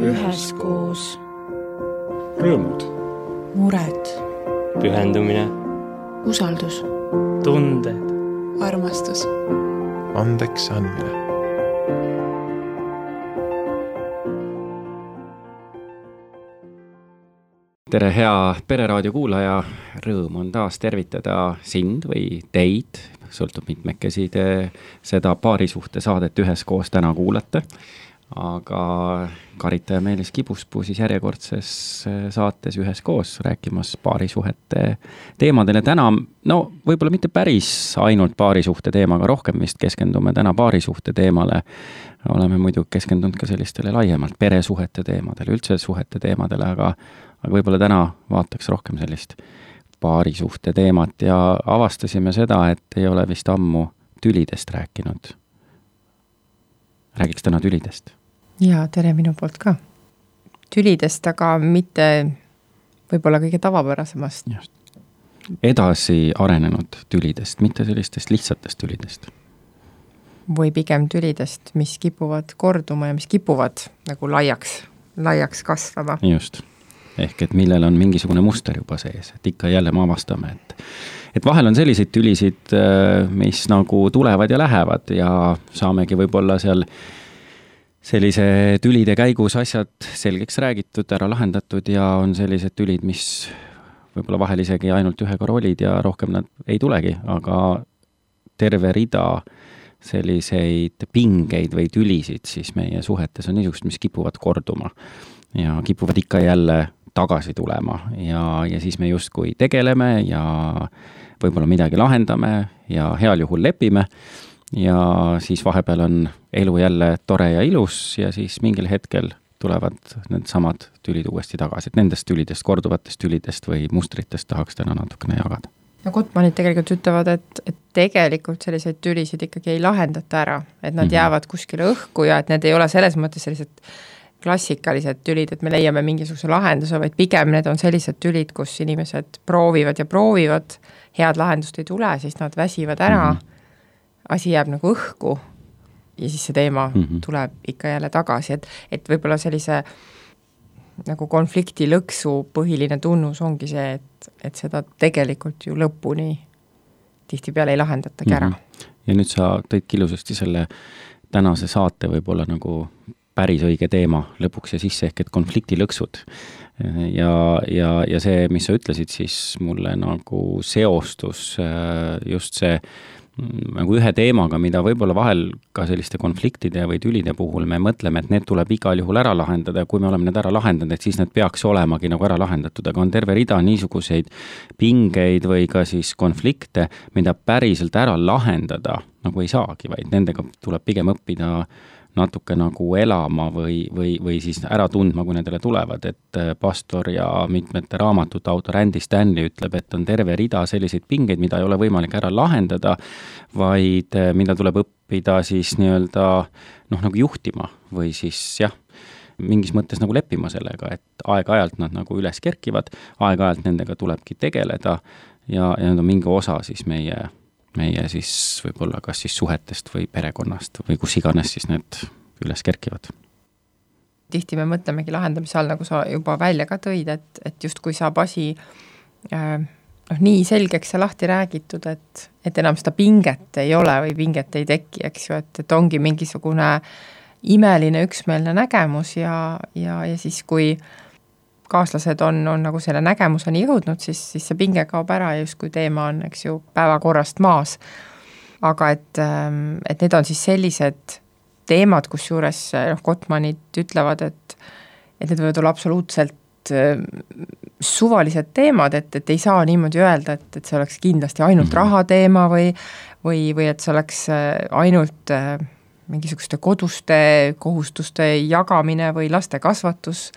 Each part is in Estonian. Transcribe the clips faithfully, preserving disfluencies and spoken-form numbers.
üheskoos. Rõõmud. Mured. Pühendumine. Usaldus. Tunded. Armastus. Andeks andmine. Tere, hea Pereraadio kuulaja, rõõm on taas tervitada sind või teid, sõltub mitmekesi te seda paarisuhte saadet üheskoos täna kuulate, aga Karita ja Meelis Kibuspuu siis järjekordses saates üheskoos rääkimas paarisuhete teemadele. Täna, no võib-olla mitte päris ainult paarisuhte teemaga, rohkem vist keskendume täna paarisuhte teemale. Oleme muidu keskendunud ka sellistele laiemalt peresuhete teemadele, üldse suhete teemadele, aga aga võib-olla täna vaataks rohkem sellist paarisuhte teemat ja avastasime seda, et ei ole vist ammu tülidest rääkinud. Räägiks täna tülidest. Ja tere minu poolt ka. Tülidest, aga mitte võib-olla kõige tavapärasemast. Just. Edasi arenenud tülidest, mitte sellistest lihtsatest tülidest. Või pigem tülidest, mis kipuvad korduma ja mis kipuvad nagu laiaks, laiaks kasvama. Just. Ehk et millel on mingisugune muster juba sees, et ikka jälle me avastame, et, et vahel on selliseid tülisid, mis nagu tulevad ja lähevad ja saamegi võib-olla seal sellise tülide käigus asjad selgeks räägitud, ära lahendatud ja on sellised tülid, mis võib-olla vahel isegi ainult ühe korra olid ja rohkem nad ei tulegi, aga terve rida selliseid pingeid või tülisid siis meie suhetes on niisugust, mis kipuvad korduma ja kipuvad ikka jälle tagasi tulema ja, ja siis me justkui tegeleme ja võib-olla midagi lahendame ja heal juhul lepime ja siis vahepeal on elu jälle tore ja ilus ja siis mingil hetkel tulevad need samad tülid uuesti tagasi, et nendest tülidest, korduvatest tülidest või mustritest tahaks täna natukene jagada. No Gottmanid tegelikult ütlevad, et, et tegelikult selliseid tülisid ikkagi ei lahendata ära, et nad mm-hmm. jäävad kuskile õhku ja et need ei ole selles mõttes sellised klassikalised tülid, et me leiame mingisuguse lahenduse, vaid pigem need on sellised tülid, kus inimesed proovivad ja proovivad, head lahendust ei tule, siis nad väsivad ära, mm-hmm. asi jääb nagu õhku ja siis see teema mm-hmm. tuleb ikka jälle tagasi, et, et võib-olla sellise nagu konflikti lõksu põhiline tunnus ongi see, et, et seda tegelikult ju lõpuni tihtipeale ei lahendatagi ära. Mm-hmm. Ja nüüd sa tõid ilusasti selle tänase saate võib-olla nagu päris õige teema lõpuks ja sisse ehk et konflikti lõksud. Ja, ja, ja see, mis sa ütlesid, siis mulle nagu seostus just see nagu ühe teemaga, mida võib-olla vahel ka selliste konfliktide või tülide puhul me mõtleme, et need tuleb igal juhul ära lahendada ja kui me oleme need ära lahendanud, et siis need peaks olemagi nagu ära lahendatud, aga on terve rida niisuguseid pingeid või ka siis konflikte, mida päriselt ära lahendada nagu ei saagi, vaid nendega tuleb pigem õppida natuke nagu elama või, või, või siis ära tundma, kui nendele tulevad, et pastor ja mitmete raamatute autor Andy Stanley ütleb, et on terve rida selliseid pingeid, mida ei ole võimalik ära lahendada, vaid mida tuleb õppida siis nii-öelda noh, nagu juhtima või siis jah, mingis mõttes nagu leppima sellega, et aeg-ajalt nad nagu üles kerkivad, aeg-ajalt nendega tulebki tegeleda ja, ja need on mingi osa siis meie meie siis võib-olla kas siis suhetest või perekonnast või kus iganes siis need üles kerkivad. Tihti me mõtlemegi lahendamise all, nagu sa juba välja ka tõid, et, et just kui saab asi äh, noh, nii selgeks ja lahti räägitud, et, et enam seda pinget ei ole või pinget ei teki, eks ju, et, et ongi mingisugune imeline üksmeelne nägemus ja, ja, ja siis kui kaaslased on, on nagu selle nägemuseni jõudnud, siis, siis see pinge kaob ära ja just kui teema on, eks ju, päevakorrast maas. Aga et, et need on siis sellised teemad, kus juures noh, Gottmanid ütlevad, et, et need võivad olla absoluutselt suvalised teemad, et, et ei saa niimoodi öelda, et, et see oleks kindlasti ainult mm-hmm. rahateema või, või, või et see oleks ainult mingisuguste koduste kohustuste jagamine või laste kasvatus.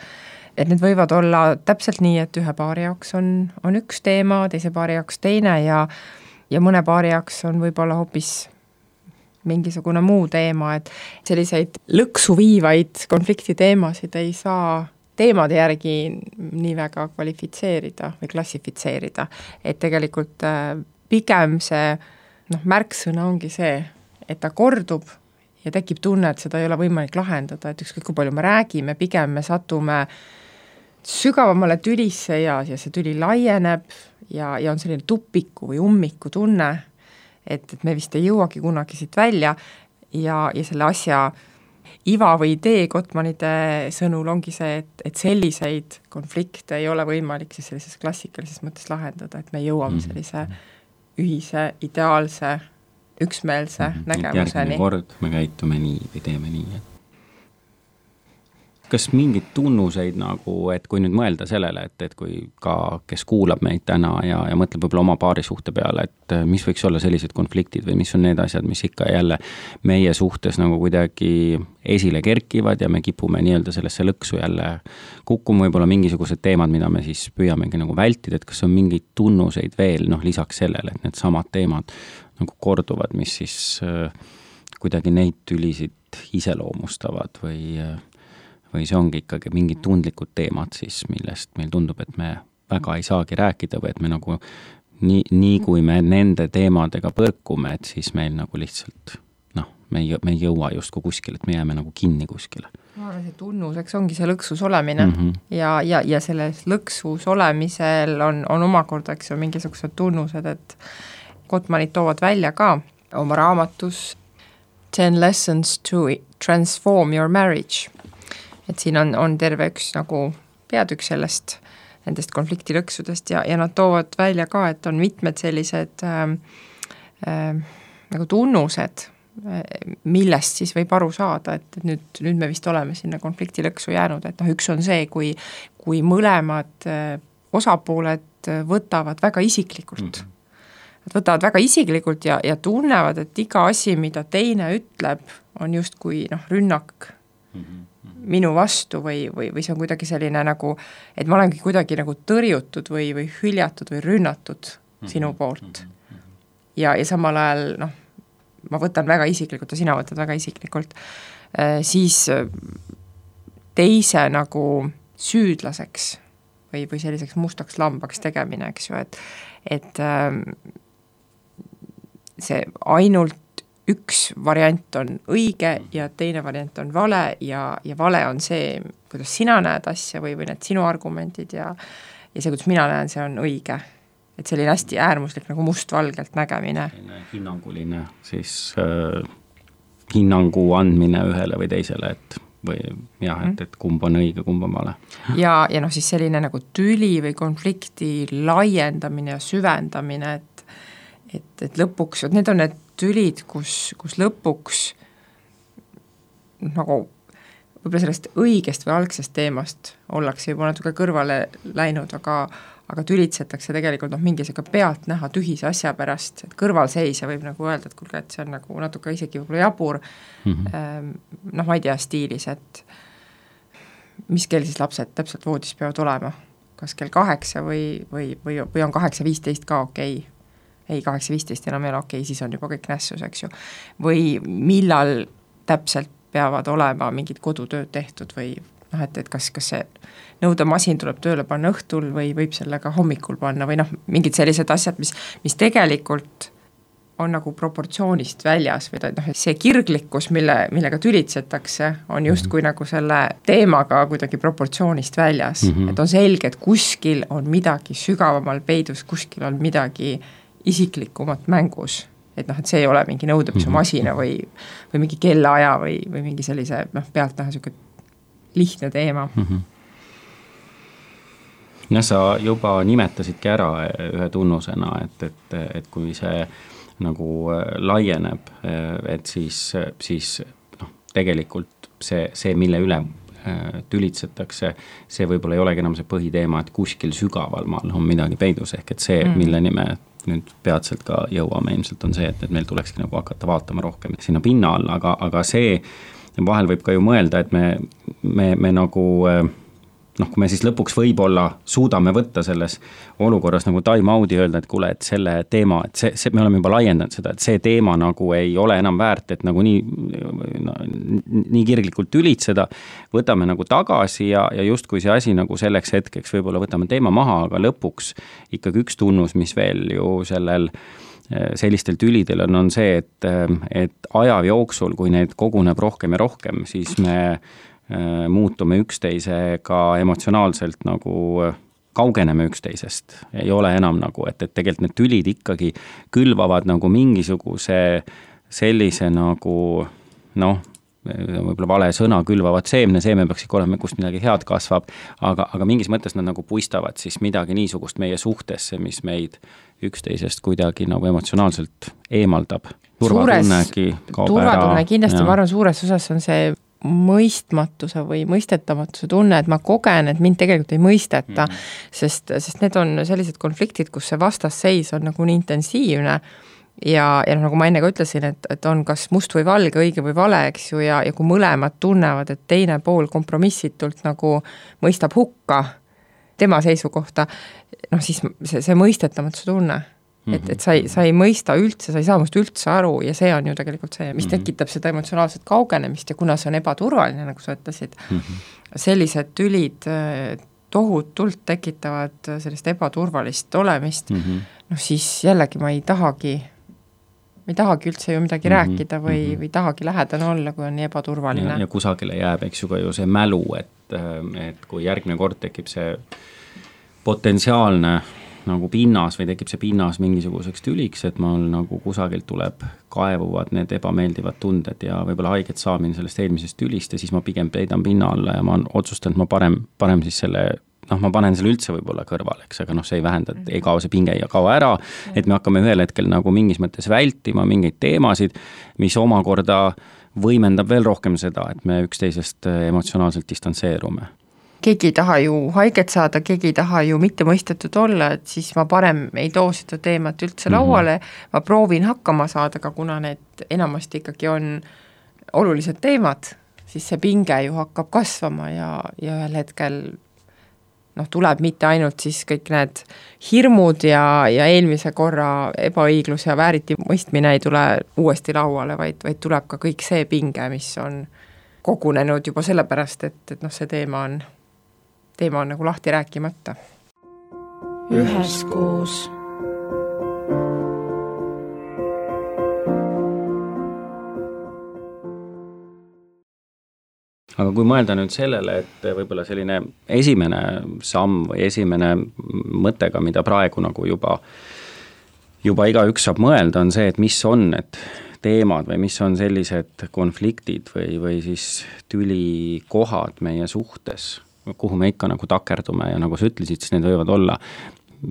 Et need võivad olla täpselt nii, et ühe paari jaoks on, on üks teema, teise paari jaoks teine ja, ja mõne paari jaoks on võib-olla hoopis mingisugune muu teema, et selliseid lõksu viivaid konfliktiteemasid ei saa teemade järgi nii väga kvalifitseerida või klassifitseerida. Et tegelikult pigem see noh, märksõna ongi see, et ta kordub ja tekib tunne, et seda ei ole võimalik lahendada, et ükskõik kui palju me räägime, pigem me satume sügavamale tülisse ja, ja see tüli laieneb ja, ja on selline tupiku või ummiku tunne, et, et me vist ei jõuagi kunagi siit välja ja, ja selle asja iva või idee Gottmanide sõnul ongi see, et, et selliseid konflikte ei ole võimalik siis sellises klassikalises mõttes lahendada, et me jõuame sellise ühise, ideaalse, üksmeelse mm-hmm. nägemuseni. Järgmine kord me käitume nii või teeme nii. Kas mingid tunnuseid nagu, et kui nüüd mõelda sellele, et, et kui ka, kes kuulab meid täna ja, ja mõtleb võib-olla oma paari suhte peale, et mis võiks olla sellised konfliktid või mis on need asjad, mis ikka jälle meie suhtes nagu kuidagi esile kerkivad ja me kipume nii-öelda sellesse lõksu jälle kukkuma, võib-olla mingisugused teemad, mida me siis püüamegi nagu vältida, et kas on mingeid tunnuseid veel, noh lisaks sellele, et need samad teemad nagu korduvad, mis siis äh, kuidagi neid tülisid iseloomustavad või äh, või see ongi ikkagi mingid tundlikud teemad siis, millest meil tundub, et me väga ei saagi rääkida või et me nagu nii, nii kui me nende teemadega põrkume, et siis meil nagu lihtsalt noh, me ei, me ei jõua justkui kuskile, et me jääme nagu kinni kuskile. Ma arvan, see tunnuseks ongi see lõksus olemine mm-hmm. ja, ja, ja selles lõksus olemisel on, on omakorda, eks ju, mingisugused tunnused, et Gottmanid toovad välja ka oma raamatus Ten Lessons to Transform Your Marriage. Et siin on, on terve üks nagu peatükk sellest, nendest konfliktilõksudest ja, ja nad toovad välja ka, et on mitmed sellised äh, äh, nagu tunnused, millest siis võib aru saada, et nüüd, nüüd me vist oleme sinna konfliktilõksu jäänud, et noh, üks on see, kui, kui mõlemad äh, osapooled võtavad väga isiklikult. Mm-hmm. Nad võtavad väga isiklikult ja, ja tunnevad, et iga asi, mida teine ütleb, on just kui noh, rünnak mm-hmm. minu vastu või, või, või see on kuidagi selline nagu, et ma olengi kuidagi nagu tõrjutud või, või hüljatud või rünnatud mm-hmm. sinu poolt. Ja, ja samal ajal, noh, ma võtan väga isiklikult ja sina võtad väga isiklikult, äh, siis teise nagu süüdlaseks või, või selliseks mustaks lambaks tegemine, eks ju, et, et äh, see ainult üks variant on õige ja teine variant on vale ja, ja vale on see, kuidas sina näed asja või, või need sinu argumentid ja, ja see, kuidas mina näen, see on õige. Et selline hästi äärmuslik nagu mustvalgelt nägemine. Hinnanguline siis äh, hinnangu andmine ühele või teisele, et või jah, et, et kumb on õige, kumb on vale. Ja, ja noh, siis selline nagu tüli või konflikti laiendamine ja süvendamine, et, et, et lõpuks, et need on need tülid, kus, kus lõpuks nagu võib-olla sellest õigest või algsest teemast ollakse juba natuke kõrvale läinud, aga, aga tülitsetakse tegelikult noh, mingisega pealt näha tühise asja pärast, et kõrvalseisja võib nagu öelda, et kuulge, et see on nagu natuke isegi võib-olla jabur mm-hmm. noh, ma ei tea stiilis, et mis kell siis lapsed täpselt voodis peavad olema, kas kell kaheksa või, või, või, või on kaheksa viisteist ka okei okay. ei, kaheksa viisteist enam ei ole okei, siis on juba kõik nässus, eks ju. Või millal täpselt peavad olema mingid kodutööd tehtud või noh, et, et kas, kas see nõudemasin tuleb tööle panna õhtul või võib sellega hommikul panna või noh, mingid sellised asjad, mis, mis tegelikult on nagu proportsioonist väljas või ta, noh, see kirglikkus, mille, millega tülitsetakse, on justkui nagu selle teemaga kuidagi proportsioonist väljas. Mm-hmm. Et on selge, et kuskil on midagi sügavamal peidus, kuskil on midagi isiklikumat mängus, et noh, et see ei ole mingi nõudepiisumasina või, või mingi kellaaja või, või mingi sellise noh, pealt näha selline lihtne teema. Mm-hmm. Ja sa juba nimetasidki ära ühe tunnusena, et, et, et kui see nagu laieneb, et siis, siis noh, tegelikult see, see, mille üle tülitsetakse, see võib-olla ei olegi enam see põhiteema, et kuskil sügaval maal on midagi peidus, ehk et see, mm. milleni me nüüd peatselt ka jõuame, ilmselt on see, et, et meil tulekski nagu hakata vaatama rohkem sinna pinna alla, aga, aga see vahel võib ka ju mõelda, et me, me, me nagu noh, kui me siis lõpuks võib-olla suudame võtta selles olukorras nagu time out'i öelda, et kuule, et selle teema, et see, see, me oleme juba laiendanud seda, et see teema nagu ei ole enam väärt, et nagu nii, no, nii kirglikult ülitseda, võtame nagu tagasi ja, ja justkui see asi nagu selleks hetkeks võib-olla võtame teema maha, aga lõpuks ikkagi üks tunnus, mis veel ju sellel sellistel tülidel on, on see, et, et aja jooksul, kui neid koguneb rohkem ja rohkem, siis me muutume üksteisega emotsionaalselt nagu kaugeneme üksteisest, ei ole enam nagu, et, et tegelikult need tülid ikkagi külvavad nagu mingisuguse sellise nagu noh, võib-olla vale sõna, külvavad seemne, seemne peaks ikka olema, kust midagi head kasvab, aga, aga mingis mõttes nad nagu puistavad siis midagi niisugust meie suhtesse, mis meid üksteisest kuidagi nagu emotsionaalselt eemaldab. Turvatunnegi kaob ära. Turvatunne kindlasti, ma arvan, suures osas on see mõistmatuse või mõistetamatuse tunne, et ma kogen, et mind tegelikult ei mõisteta, mm. sest, sest need on sellised konfliktid, kus see vastasseis on nagu nii intensiivne ja, ja nagu ma enne ka ütlesin, et, et on kas must või valge, õige või vale, eks ju, ja, ja kui mõlemad tunnevad, et teine pool kompromissitult nagu mõistab hukka tema seisukohta, noh siis see, see mõistetamatuse tunne. Et, et sa ei, sa ei mõista üldse, sa ei saa must üldse aru ja see on ju tegelikult see, mis tekitab seda emotsionaalset kaugenemist ja kuna see on ebaturvaline, nagu sa ütlesid, mm-hmm. sellised tülid tohutult tekitavad sellist ebaturvalist olemist, mm-hmm. noh siis jällegi ma ei tahagi, ma ei tahagi üldse ju midagi mm-hmm. rääkida või, mm-hmm. või tahagi lähedane olla, kui on nii ebaturvaline. Ja, ja kusagile jääb, eks ju ka ju see mälu, et, et kui järgmine kord tekib see potentsiaalne nagu pinnas või tekib see pinnas mingisuguseks tüliks, et mul nagu kusagilt tuleb, kaevuvad need ebameeldivad tunded ja võib-olla haiget saamine sellest eelmisest tülist ja siis ma pigem peidan pinna alla ja ma otsustan, et ma parem, parem siis selle, noh, ma panen selle üldse võib-olla kõrvale, eks, aga noh, see ei vähenda, et ei kao see pinge ja kao ära, et me hakkame ühel hetkel nagu mingis mõttes vältima mingeid teemasid, mis omakorda võimendab veel rohkem seda, et me üksteisest emotsionaalselt distantseerume. Keegi ei taha ju haiget saada, keegi ei taha ju mitte mõistetud olla, et siis ma parem ei too seda teemat üldse lauale, mm-hmm. ma proovin hakkama saada, aga kuna need enamasti ikkagi on olulised teemad, siis see pinge ju hakkab kasvama ja, ja ühel hetkel noh, tuleb mitte ainult siis kõik need hirmud ja, ja eelmise korra ebaõiglus ja vääriti mõistmine ei tule uuesti lauale, vaid, vaid tuleb ka kõik see pinge, mis on kogunenud juba sellepärast, et, et noh, see teema on teema on nagu lahti rääkimata. Üheskoos. Aga kui mõelda nüüd sellele, et võib-olla selline esimene samm või esimene mõttega, mida praegu nagu juba, juba igaüks saab mõelda, on see, et mis on need teemad või mis on sellised konfliktid või, või siis tülikohad meie suhtes, kuhu me ikka nagu takerdume ja nagu sa ütlesid, siis need võivad olla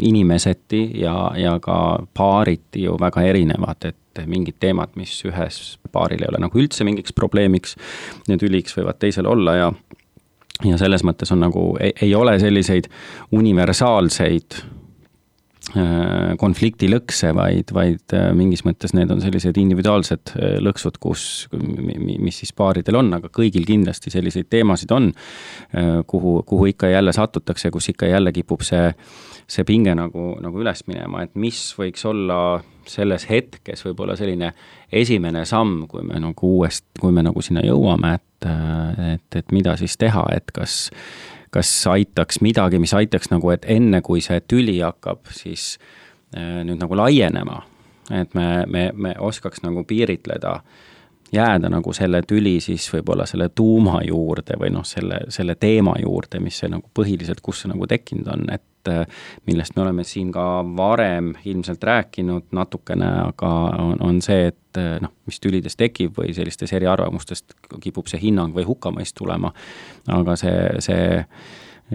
inimeseti ja, ja ka paariti ju väga erinevad, et mingid teemad, mis ühes paaril ei ole nagu üldse mingiks probleemiks, need üliks võivad teisel olla ja, ja selles mõttes on nagu, ei, ei ole selliseid universaalseid konflikti lõkse, vaid, vaid mingis mõttes need on sellised individuaalsed lõksud, kus, mis siis paaridel on, aga kõigil kindlasti selliseid teemasid on, kuhu, kuhu ikka jälle satutakse, kus ikka jälle kipub see, see pinge nagu, nagu üles minema, et mis võiks olla selles hetkes võib-olla selline esimene samm, kui me nagu uuest, kui me nagu sinna jõuame, et, et, et mida siis teha, et kas kas aitaks midagi, mis aitaks nagu, et enne kui see tüli hakkab, siis nüüd nagu laienema, et me, me, me oskaks nagu piiritleda, jääda nagu selle tüli siis võib-olla selle tuuma juurde või noh, selle, selle teema juurde, mis see nagu põhiliselt, kus see nagu tekkinud on, et millest me oleme siin ka varem ilmselt rääkinud natukene, aga on, on see, et noh, mis tülides tekib või sellistes eriarvamustest kipub see hinnang või hukkamõist tulema, aga see, see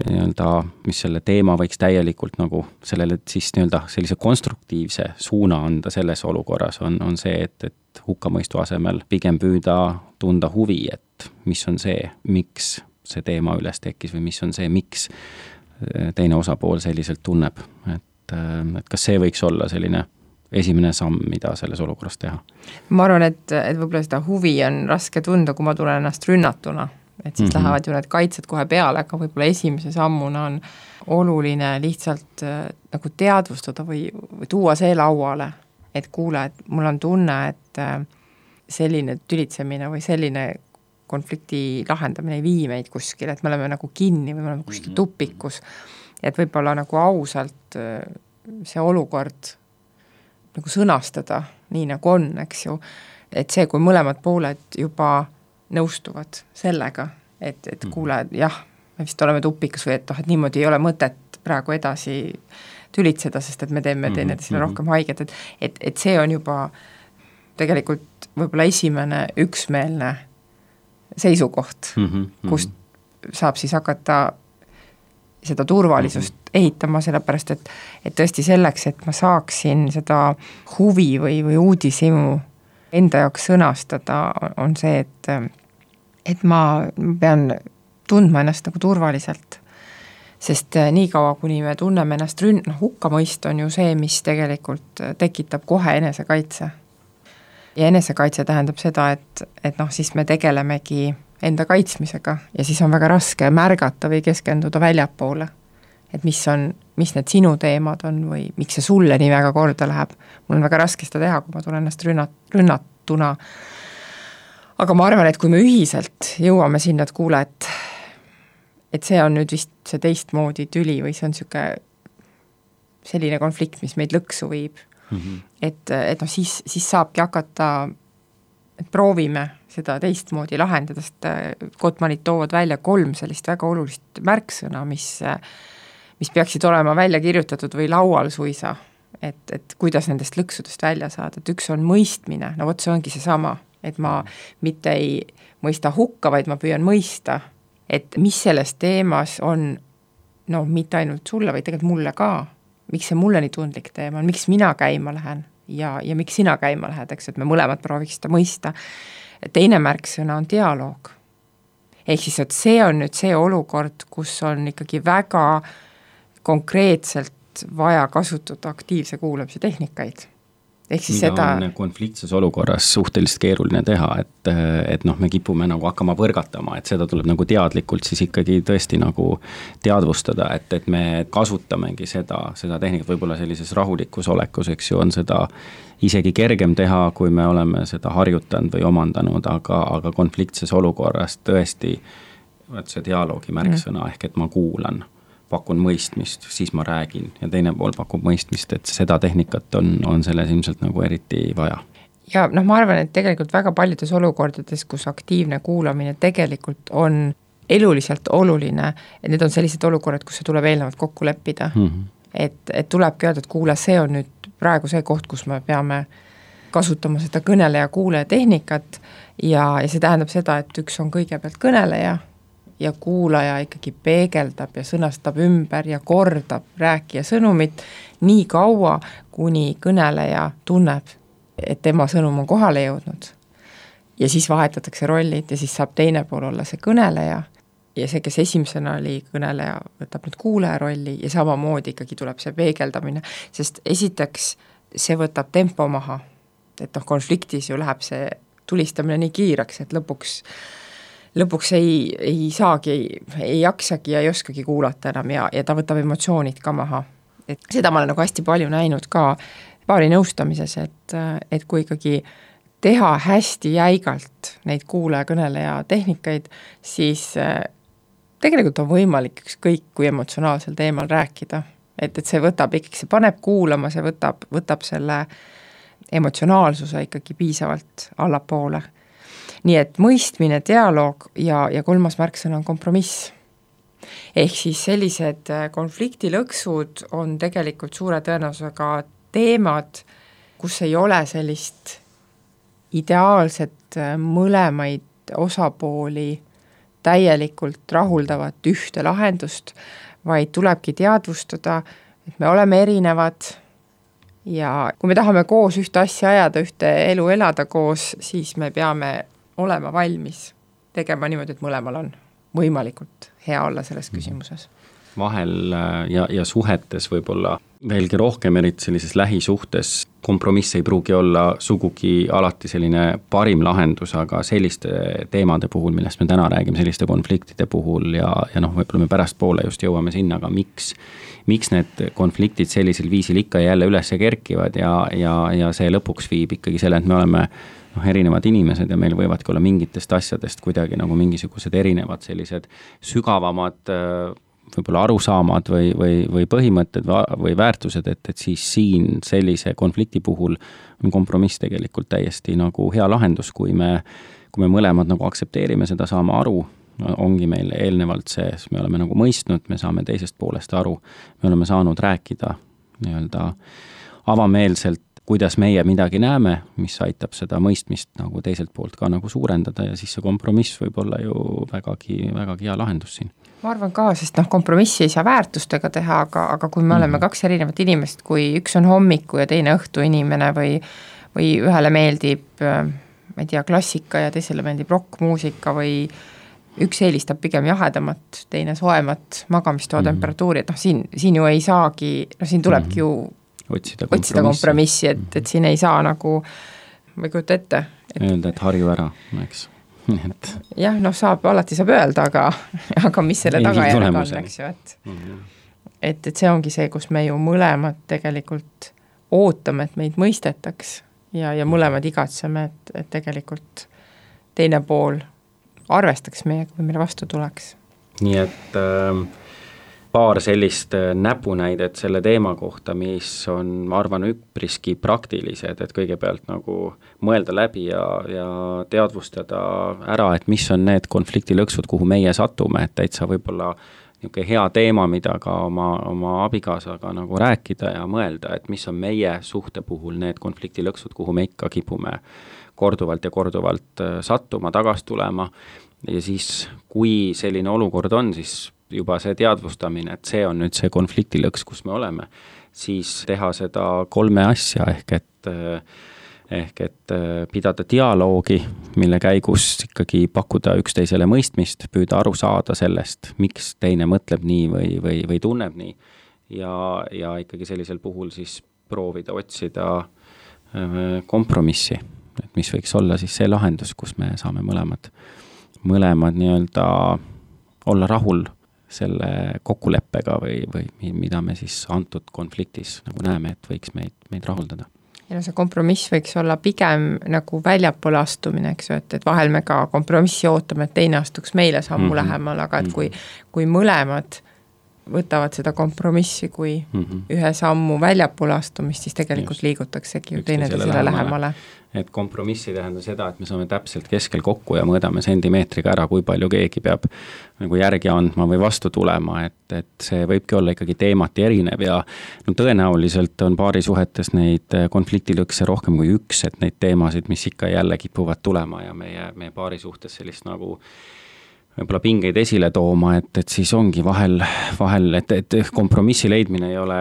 nii-öelda, mis selle teema võiks täielikult nagu sellele siis nii-öelda sellise konstruktiivse suuna anda selles olukorras, on, on see, et, et hukkamõistu asemel pigem püüda tunda huvi, et mis on see, miks see teema üles tekkis või mis on see, miks teine osapool selliselt tunneb, et, et kas see võiks olla selline esimene samm, mida selles olukorras teha? Ma arvan, et, et võib-olla seda huvi on raske tunda, kui ma tulen ennast rünnatuna, et siis mm-hmm. lähevad ju need kaitsed kohe peale, aga võib-olla esimese sammuna on oluline lihtsalt nagu teadvustada või, või tuua see lauale, et kuule, et mul on tunne, et selline tülitsemine või selline konflikti lahendamine ei vii meid kuskil, et me oleme nagu kinni või me oleme kuskil tupikus, et võib-olla nagu ausalt see olukord nagu sõnastada nii nagu on, eks ju, et see, kui mõlemad pooled juba nõustuvad sellega, et, et kuule, jah, me vist oleme tupikas või et, oh, et niimoodi ei ole mõtet praegu edasi tülitseda, sest et me teeme teineteisele mm-hmm. rohkem haiget, et, et, et see on juba tegelikult võib-olla esimene üksmeelne seisukoht, mm-hmm. kust saab siis hakata seda turvalisust mm-hmm. ehitama, sellepärast et, et tõesti selleks, et ma saaksin seda huvi või, või uudishimu enda jaoks sõnastada, on see, et, et ma pean tundma ennast nagu turvaliselt. Sest nii kaua, kuni me tunneme ennast rünn-, noh, hukkamõist on ju see, mis tegelikult tekitab kohe enesekaitse. Ja enesekaitse tähendab seda, et, et noh, siis me tegelemegi enda kaitsmisega ja siis on väga raske märgata või keskenduda väljapoole. Et mis on, mis need sinu teemad on või miks see sulle nii väga korda läheb. Mul on väga raske seda teha, kui ma tulen ennast rünnat, rünnatuna. Aga ma arvan, et kui me ühiselt jõuame sinna, et kuule, et et see on nüüd vist see teistmoodi tüli või see on siuke selline konflikt, mis meid lõksu viib. Mm-hmm. Et, et no siis, siis saabki hakata, et proovime seda teistmoodi lahendada, sest Gottmanid toovad välja kolm sellist väga olulist märksõna, mis, mis peaksid olema välja kirjutatud või laual suisa, et, et kuidas nendest lõksudest välja saada. Et üks on mõistmine, no vot see ongi see sama, et ma mitte ei mõista hukka, vaid ma püüan mõista, et mis selles teemas on, no mitte ainult sulle, vaid tegelikult mulle ka, miks see mulle nii tundlik teema on, miks mina käima lähen ja, ja miks sina käima lähed, eks, et me mõlemad prooviks seda mõista. Teine märksõna on dialoog. Ehk siis, et see on nüüd see olukord, kus on ikkagi väga konkreetselt vaja kasutada aktiivse kuulamise tehnikaid. Ehk siis mida seda on konfliktses olukorras suhteliselt keeruline teha, et, et noh, me kipume nagu hakkama põrgatama, et seda tuleb nagu teadlikult siis ikkagi tõesti nagu teadvustada, et, et me kasutamegi seda, seda tehnikat võib-olla sellises rahulikus olekus, eks ju, on seda isegi kergem teha, kui me oleme seda harjutanud või omandanud, aga, aga konfliktses olukorras tõesti see dialoogi märksõna mm. ehk et ma kuulan, pakun mõistmist, siis ma räägin ja teine pool pakub mõistmist, et seda tehnikat on, on selles ilmselt nagu eriti vaja. Ja noh, ma arvan, et tegelikult väga paljudes olukordades, kus aktiivne kuulamine tegelikult on eluliselt oluline, et need on sellised olukorrad, kus see tuleb eelnevalt kokku leppida. Mm-hmm. Et, et tulebki öelda, et kuule, see on nüüd praegu see koht, kus me peame kasutama seda kõneleja kuuleja tehnikat ja, ja see tähendab seda, et üks on kõigepealt kõneleja ja kuulaja ikkagi peegeldab ja sõnastab ümber ja kordab rääkija sõnumit nii kaua, kuni kõneleja tunneb, et tema sõnum on kohale jõudnud. Ja siis vahetatakse rollid ja siis saab teine pool olla see kõneleja ja see, kes esimesena oli kõneleja, võtab nüüd kuulaja rolli ja samamoodi ikkagi tuleb see peegeldamine, sest esiteks see võtab tempo maha, et noh, konfliktis ju läheb see tulistamine nii kiireks, et lõpuks lõpuks ei, ei saagi, ei jaksagi ja ei oskagi kuulata enam ja, ja ta võtab emotsioonid ka maha. Et seda ma olen nagu hästi palju näinud ka paari nõustamises, et, et kui ikkagi teha hästi jäigalt neid kuulaja kõneleja tehnikaid, siis tegelikult on võimalik ükskõik kui emotsionaalsel teemal rääkida. Et, et see võtab ikkagi, see paneb kuulama, see võtab, võtab selle emotsionaalsuse ikkagi piisavalt allapoole. Nii et mõistmine, dialoog ja, ja kolmas märksõna on kompromiss. Ehk siis sellised konfliktilõksud on tegelikult suure tõenäosusega teemad, kus ei ole sellist ideaalset mõlemaid osapooli täielikult rahuldavat ühte lahendust, vaid tulebki teadvustada, et me oleme erinevad ja kui me tahame koos ühte asja ajada, ühte elu elada koos, siis me peame olema valmis tegema niimoodi, et mõlemal on võimalikult hea olla selles küsimuses. Vahel ja, ja suhetes võib-olla veelgi rohkem, eriti sellises lähisuhtes, kompromiss ei pruugi olla sugugi alati selline parim lahendus, aga selliste teemade puhul, millest me täna räägime, selliste konfliktide puhul ja, ja noh, võib-olla me pärast poole just jõuame sinna, aga miks, miks need konfliktid sellisel viisil ikka ja jälle üles kerkivad ja, ja, ja see lõpuks viib ikkagi selle, et me oleme noh, erinevad inimesed ja meil võivadki olla mingitest asjadest kuidagi nagu mingisugused erinevad sellised sügavamad võib-olla arusaamad või, või, või põhimõtted või väärtused, et, et siis siin sellise konflikti puhul on kompromiss tegelikult täiesti nagu hea lahendus, kui me, kui me mõlemad nagu aktsepteerime seda, saama aru, ongi meil eelnevalt see, me oleme nagu mõistnud, me saame teisest poolest aru, me oleme saanud rääkida nii-öelda avameelselt, kuidas meie midagi näeme, mis aitab seda mõistmist nagu teiselt poolt ka nagu suurendada ja siis see kompromiss võib olla ju vägagi, vägagi hea lahendus siin. Ma arvan ka, sest noh, kompromissi ei saa väärtustega teha, aga, aga kui me oleme mm-hmm. kaks erinevat inimest, kui üks on hommiku ja teine õhtu inimene või, või ühele meeldib, ma ei tea, klassika ja teisele meeldib rockmuusika või üks eelistab pigem jahedamat, teine soemat magamistoa mm-hmm. temperatuuri, et noh, siin, siin ju ei saagi, no siin tulebki mm-hmm. ju otsida kompromissi, otsida kompromissi et, et siin ei saa nagu, ma ei kujuta ette. Et, öelda, et harju ära, eks. Et... jah, noh, saab, alati saab öelda, aga, aga mis selle tagajärg on, eks ju, et, mm-hmm. et, et see ongi see, kus me ju mõlemad tegelikult ootame, et meid mõistetaks ja, ja mõlemad igatseme, et, et tegelikult teine pool arvestaks meiega või meile vastu tuleks. Nii et... Äh... paar sellist näpunäidet selle teema kohta, mis on, ma arvan, üpriski praktilised, et kõigepealt nagu mõelda läbi ja, ja teadvustada ära, et mis on need konfliktilõksud, kuhu meie satume, et täitsa võib-olla niisugune hea teema, mida ka oma, oma abikaasaga nagu rääkida ja mõelda, et mis on meie suhte puhul need konfliktilõksud, kuhu me ikka kipume korduvalt ja korduvalt sattuma, tagas tulema ja siis, kui selline olukord on, siis juba see teadvustamine, et see on nüüd see konfliktilõks, kus me oleme, siis teha seda kolme asja, ehk et, ehk et pidada dialoogi, mille käigus ikkagi pakkuda üksteisele mõistmist, püüda aru saada sellest, miks teine mõtleb nii või, või, või tunneb nii ja, ja ikkagi sellisel puhul siis proovida otsida kompromissi, et mis võiks olla siis see lahendus, kus me saame mõlemad, mõlemad nii-öelda olla rahul selle kokkuleppega või, või mida me siis antud konfliktis nagu näeme, et võiks meid, meid rahuldada. Ja no see kompromiss võiks olla pigem nagu väljapoole astumine, eks ju, et, et vahel me ka kompromissi ootame, et teine astuks meile sammu mm-hmm. lähemal, aga et kui, kui mõlemad võtavad seda kompromissi kui mm-hmm. ühe sammu väljapoole astumist, siis tegelikult Just. liigutaksegi ju teine teisele lähemale. Et kompromissi tähendab seda, et me saame täpselt keskel kokku ja mõõdame sentimeetriga ära, kui palju keegi peab nagu järgi andma või vastu tulema, et, et see võibki olla ikkagi teemati erinev ja no tõenäoliselt on paarisuhetes neid konfliktilõkse rohkem kui üks, et neid teemasid, mis ikka jälle kipuvad tulema ja meie, meie paarisuhtes sellist nagu võib-olla pingeid esile tooma, et, et siis ongi vahel, vahel et, et kompromissi leidmine ei ole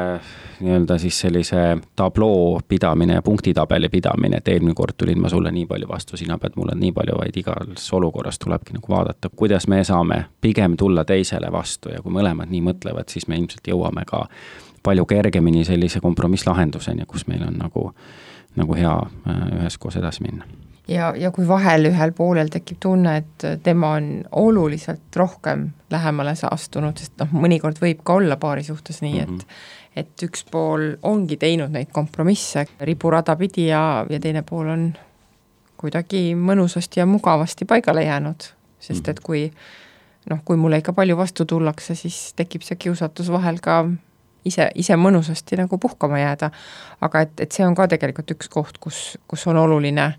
nii-öelda siis sellise tabloo pidamine ja punktitabeli pidamine, et eelmine kord tulin ma sulle nii palju vastu, sina pead mulle nii palju, vaid igas olukorras tulebki nagu vaadata, kuidas me saame pigem tulla teisele vastu ja kui mõlemad nii mõtlevad, siis me ilmselt jõuame ka palju kergemini sellise kompromisslahenduseni, kus meil on nagu, nagu hea üheskoos edasi minna. Ja, ja kui vahel ühel poolel tekib tunne, et tema on oluliselt rohkem lähemale saastunud, sest noh, mõnikord võib ka olla paari suhtes nii, mm-hmm. et, et üks pool ongi teinud neid kompromisse riburada pidi ja, ja teine pool on kuidagi mõnusasti ja mugavasti paigale jäänud, sest mm-hmm. et kui, noh, kui mulle ikka palju vastu tullakse, siis tekib see kiusatus vahel ka ise, ise mõnusasti nagu puhkama jääda, aga et, et see on ka tegelikult üks koht, kus, kus on oluline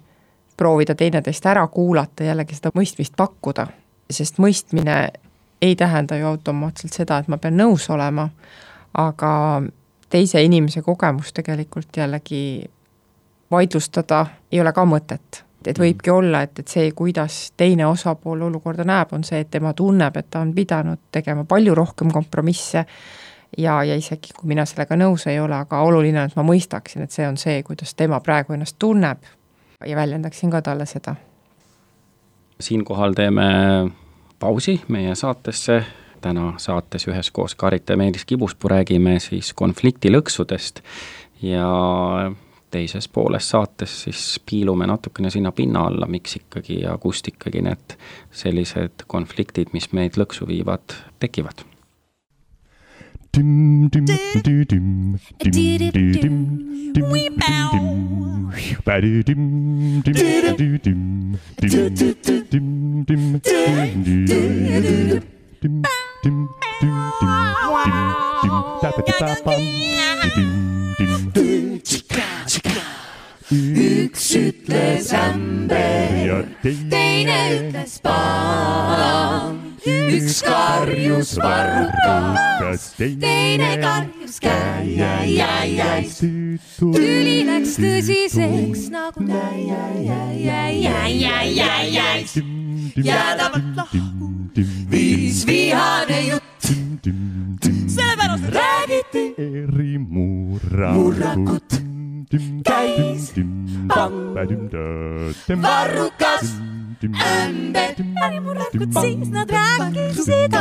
proovida teineteist ära kuulata, jällegi seda mõistmist pakkuda, sest mõistmine ei tähenda ju automaatselt seda, et ma pean nõus olema, aga teise inimese kogemus tegelikult jällegi vaidlustada ei ole ka mõtet. Et võibki olla, et, et see, kuidas teine osapool olukorda näeb, on see, et tema tunneb, et ta on pidanud tegema palju rohkem kompromisse ja, ja isegi kui mina sellega nõus ei ole, aga oluline on, et ma mõistaksin, et see on see, kuidas tema praegu ennast tunneb ja väljendaksin ka talle seda. Siinkohal teeme pausi meie saatesse. Täna saates üheskoos Karita ja Meelis Kibuspuu räägime siis konfliktilõksudest ja teises pooles saates siis piilume natukene sinna pinna alla, miks ikkagi ja kust ikkagi need sellised konfliktid, mis meid lõksu viivad, tekivad. Dim dim dim dim dim dim we bow dim dim dim dim dim dim dim dim dim Üks ütles ämber, teine ütles paan. Üks karjus varrukas, teine karjus käi. Tüli läks tõsiseks nagu näi. Jäädavalt lahku viis vihane jutt. Sellepärast räägiti eri murrakut. Käis pang, varrukas, ämber, äri murrakut, siis nad rääkisid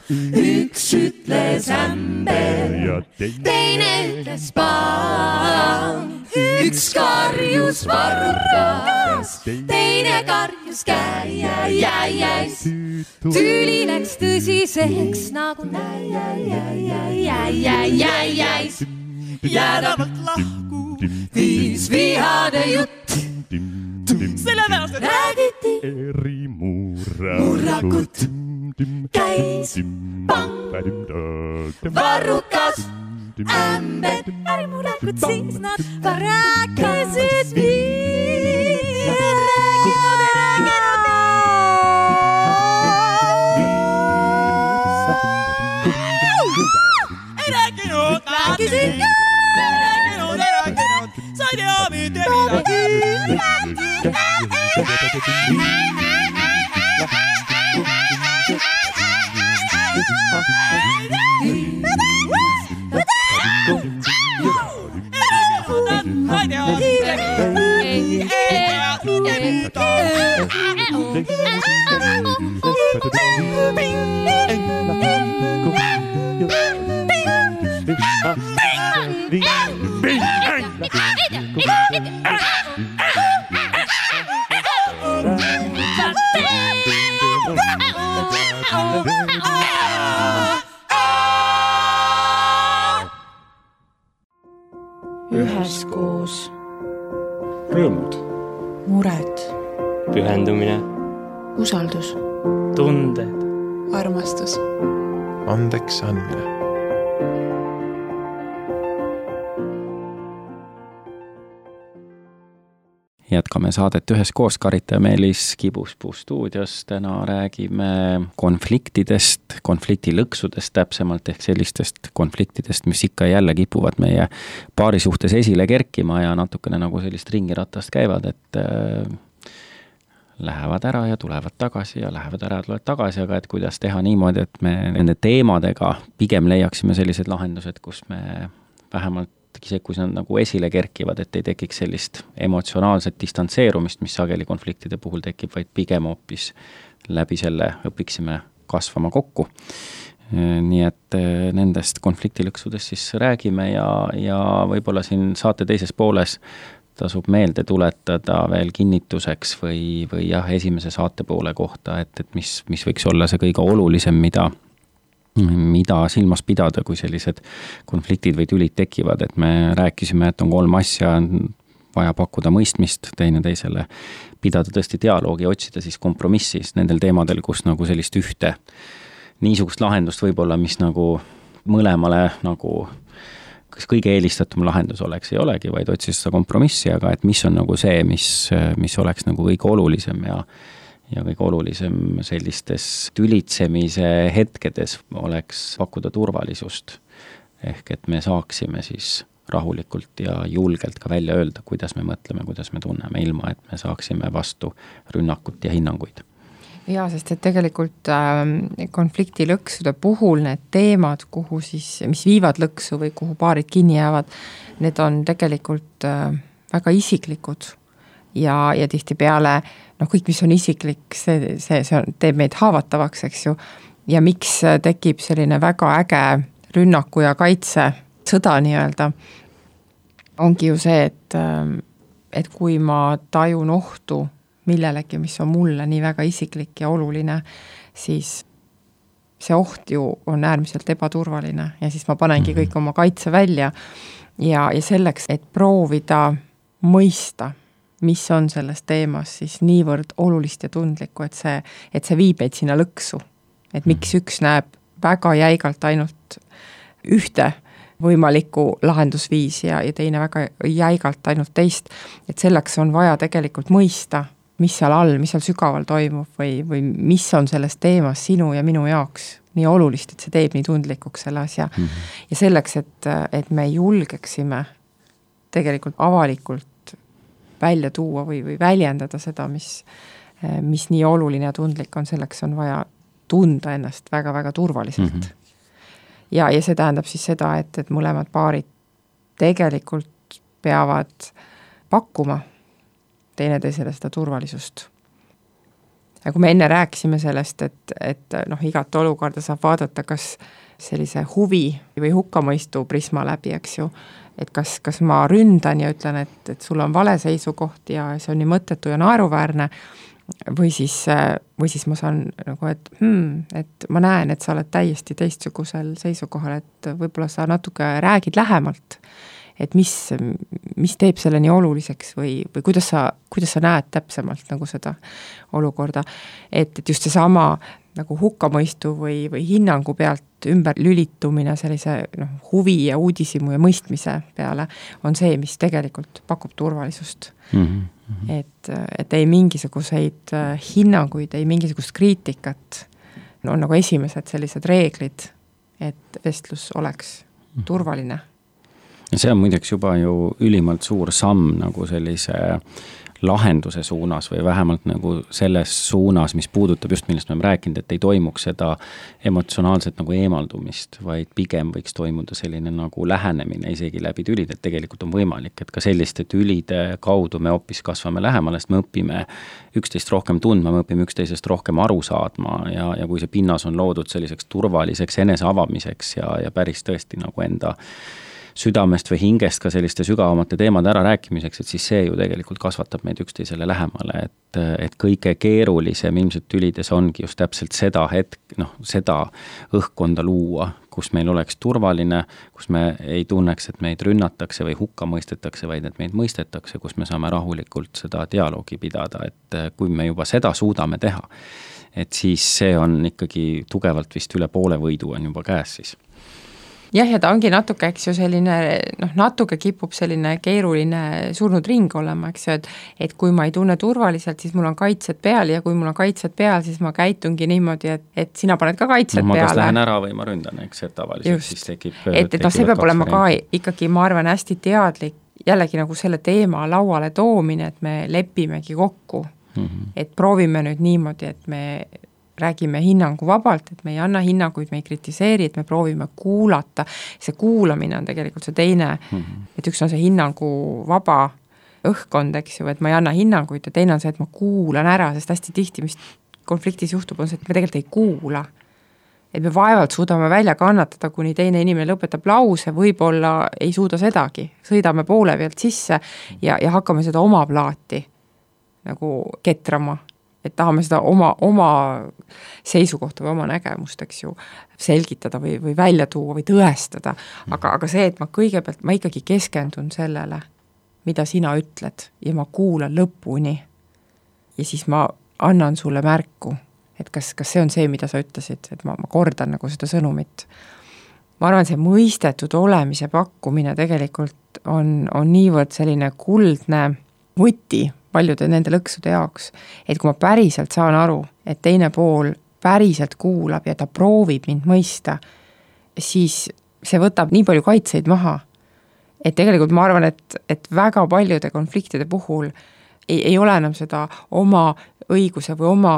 Üks ütles ämber, teine ütles paan. Üks karjus varrukas, teine karjus käi. Tüli läks tõsiseks nagu näi. Jäädavalt lahku viis vihane jutt. Sellepärast räägiti eri murrakut. Käis pang, varrukas, ämber, äri murrakut, siis nad rääkisid nii. Ei rääkinud, rääkisid nii. Ei rääkinud, ei rääkinud, sa ei tea mitte midagi. Üheskoos. Rõõmud. Mured. Pühendumine. Usaldus. Tunded. Armastus. Andeks andmine. Jätkame saadet üheskoos, Karita ja Meelis Kibuspuu stuudios. Täna räägime konfliktidest, konfliktilõksudest täpsemalt, ehk sellistest konfliktidest, mis ikka jälle kipuvad meie paari suhtes esile kerkima ja natukene nagu sellist ringiratast käivad, et äh, lähevad ära ja tulevad tagasi ja lähevad ära ja tulevad tagasi, aga et kuidas teha niimoodi, et me nende teemadega pigem leiaksime sellised lahendused, kus me vähemalt see, kui nad nagu esile kerkivad, et ei tekiks sellist emotsionaalset distantseerumist, mis sageli konfliktide puhul tekib, vaid pigem hoopis läbi selle õpiksime kasvama kokku. Nii et nendest konfliktilõksudest siis räägime ja, ja võib-olla siin saate teises pooles tasub meelde tuletada veel kinnituseks või, või jah, esimese saate poole kohta, et, et mis, mis võiks olla see kõige olulisem, mida mida silmas pidada, kui sellised konfliktid või tülid tekivad, et me rääkisime, et on kolm asja, vaja pakkuda mõistmist teine teisele, pidada tõesti dialoogi, otsida siis kompromissis nendel teemadel, kus nagu sellist ühte niisugust lahendust võib-olla, mis nagu mõlemale nagu kas kõige eelistatum lahendus oleks, ei olegi, vaid otsida seda kompromissi, aga et mis on nagu see, mis, mis oleks nagu kõige olulisem ja ja kõige olulisem sellistes tülitsemise hetkedes oleks pakkuda turvalisust. Ehk et me saaksime siis rahulikult ja julgelt ka välja öelda, kuidas me mõtleme, kuidas me tunneme, ilma et me saaksime vastu rünnakut ja hinnanguid. Jaa, sest et tegelikult äh, konfliktilõksude puhul need teemad, kuhu siis, mis viivad lõksu või kuhu paarid kinni jäävad, need on tegelikult äh, väga isiklikud ja, ja tihtipeale noh, kõik, mis on isiklik, see, see, see on, teeb meid haavatavaks, eks ju, ja miks tekib selline väga äge rünnaku ja kaitse sõda nii-öelda, ongi ju see, et, et kui ma tajun ohtu millelegi, mis on mulle nii väga isiklik ja oluline, siis see oht ju on äärmiselt ebaturvaline ja siis ma panengi kõik oma kaitse välja ja, ja selleks, et proovida mõista, mis on selles teemas siis niivõrd olulist ja tundlikku, et see, et see viib meid sinna lõksu. Et miks üks näeb väga jäigalt ainult ühte võimalikku lahendusviisi ja, ja teine väga jäigalt ainult teist, et selleks on vaja tegelikult mõista, mis seal all, mis seal sügaval toimub või, või mis on selles teemas sinu ja minu jaoks nii olulist, et see teeb nii tundlikuks selle asja. Mm-hmm. Ja selleks, et, et me julgeksime tegelikult avalikult välja tuua või, või väljendada seda, mis, mis nii oluline ja tundlik on, selleks on vaja tunda ennast väga-väga turvaliselt. Mm-hmm. Ja, ja see tähendab siis seda, et, et mõlemad paarid tegelikult peavad pakkuma teineteisele seda turvalisust. Ja kui me enne rääkisime sellest, et, et noh, igat olukorda saab vaadata kas sellise huvi või hukkamõistu prisma läbi, eks ju, et kas, kas ma ründan ja ütlen, et, et sul on vale seisukoht ja see on nii mõttetu ja naeruväärne, või siis, või siis ma saan nagu, et, hmm, et ma näen, et sa oled täiesti teistsugusel seisukohal, et võib-olla sa natuke räägid lähemalt, et mis, mis teeb selle nii oluliseks või, või kuidas sa, kuidas sa näed täpsemalt nagu seda olukorda, et, et just seesama nagu hukkamõistu või, või hinnangu pealt ümber lülitumine sellise noh, huvi ja uudisimu ja mõistmise peale on see, mis tegelikult pakub turvalisust. Mm-hmm. Et, et ei mingisuguseid hinnanguid, ei mingisugust kriitikat, on nagu esimesed sellised reeglid, et vestlus oleks turvaline. Ja see on muideks juba ju ülimalt suur samm nagu sellise lahenduse suunas või vähemalt nagu selles suunas, mis puudutab just, millest me oleme rääkinud, et ei toimuks seda emotsionaalset nagu eemaldumist, vaid pigem võiks toimuda selline nagu lähenemine isegi läbi tülid, et tegelikult on võimalik, et ka selliste tülide kaudu me hoopis kasvame lähemale, sest me õpime üksteist rohkem tundma, me õpime üksteisest rohkem aru saadma ja, ja kui see pinnas on loodud selliseks turvaliseks enese avamiseks ja, ja päris tõesti nagu enda südamest või hingest ka selliste sügavamate teemade ära rääkimiseks, et siis see ju tegelikult kasvatab meid üksteisele lähemale, et, et kõige keerulisem ilmselt tülides ongi just täpselt seda hetk, noh, seda õhkkonda luua, kus meil oleks turvaline, kus me ei tunneks, et meid rünnatakse või hukka mõistetakse, vaid et meid mõistetakse, kus me saame rahulikult seda dialoogi pidada, et kui me juba seda suudame teha, et siis see on ikkagi tugevalt vist üle poole võidu on juba käes siis. Jah, ja ta ongi natuke, eks ju, selline, noh, natuke kipub selline keeruline surnud ring olema, eks ju, et, et kui ma ei tunne turvaliselt, siis mul on kaitsed peal ja kui mul on kaitsed peal, siis ma käitungi niimoodi, et, et sina paned ka kaitsed no, ma peale. Ma kas lähen ära või ma ründan, eks, et tavaliselt Just. Siis tekib... Et, et no see peab olema ka ikkagi, ma arvan, hästi teadlik, jällegi nagu selle teema lauale toomine, et me lepimegi kokku, mm-hmm. et proovime nüüd niimoodi, et me räägime hinnangu vabalt, et me ei anna hinnanguid, me ei kritiseeri, et me proovime kuulata. See kuulamine on tegelikult see teine, mm-hmm. et üks on see hinnangu vaba õhkkond, eks ju, et ma ei anna hinnanguid ja teine on see, et ma kuulan ära, sest hästi tihti, mis konfliktis juhtub, on see, et me tegelikult ei kuula. Et me vaevalt suudame välja kannatada, kuni teine inimene lõpetab lause, võib-olla ei suuda sedagi. Sõidame poole pealt sisse ja, ja hakkame seda oma plaati nagu ketrama. Et tahame seda oma, oma seisukohta või oma nägemust, eks ju, selgitada või, või välja tuua või tõestada. Aga, aga see, et ma kõigepealt, ma ikkagi keskendun sellele, mida sina ütled ja ma kuulan lõpuni ja siis ma annan sulle märku, et kas, kas see on see, mida sa ütlesid, et ma, ma kordan nagu seda sõnumit. Ma arvan, see mõistetud olemise pakkumine tegelikult on, on niivõrd selline kuldne võti paljude nende lõksude jaoks, et kui ma päriselt saan aru, et teine pool päriselt kuulab ja ta proovib mind mõista, siis see võtab nii palju kaitseid maha, et tegelikult ma arvan, et, et väga paljude konfliktide puhul ei, ei ole enam seda oma õiguse või oma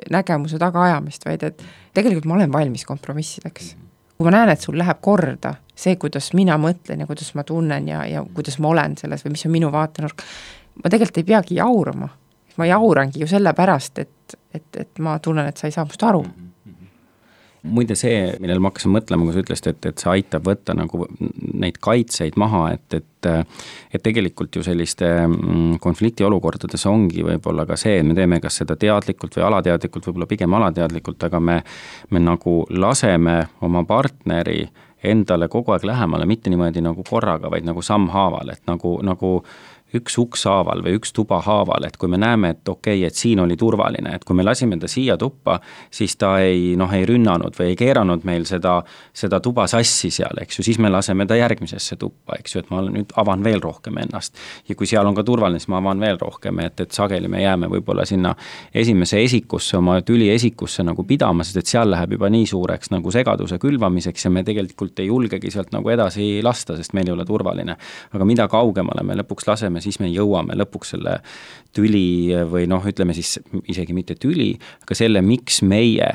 nägemuse tagaajamist, vaid et tegelikult ma olen valmis kompromissideks. kui ma näen, et sul läheb korda see, kuidas mina mõtlen ja kuidas ma tunnen ja, ja kuidas ma olen selles või mis on minu vaatenurk, ma tegelikult ei peagi jaurama. Ma jaurangi ju selle pärast, et, et, et ma tunnen, et sa ei saa must aru. Muide see, millel ma hakkasin mõtlema, kui sa ütlesid, et, et see aitab võtta nagu neid kaitseid maha, et, et, et tegelikult ju selliste konflikti olukordades ongi võib-olla ka see, et me teeme kas seda teadlikult või alateadlikult, võib-olla pigem alateadlikult, aga me, me nagu laseme oma partneri endale kogu aeg lähemale, mitte niimoodi nagu korraga, vaid nagu sammhaaval, et nagu, nagu üks uks haaval või üks tuba haaval, et kui me näeme, et okei, et siin oli turvaline, et kui me lasime ta siia tuppa, siis ta ei, noh, ei rünnanud või ei keeranud meil seda, seda tuba sassi seal, eks ju, siis me laseme ta järgmisesse tuppa, eks ju, et ma nüüd avan veel rohkem ennast. Ja kui seal on ka turvaline, siis ma avan veel rohkem, et, et sageli me jääme võib-olla sinna esimese esikusse, oma tüli esikusse nagu pidama, sest et seal läheb juba nii suureks nagu segaduse külvamiseks ja me tegelikult ei julgegi sealt nagu edasi lasta, sest meil ei ole turvaline. Aga mida kaugemale me lõpuks laseme, siis me jõuame lõpuks selle tüli või noh, ütleme siis isegi mitte tüli, aga selle, miks meie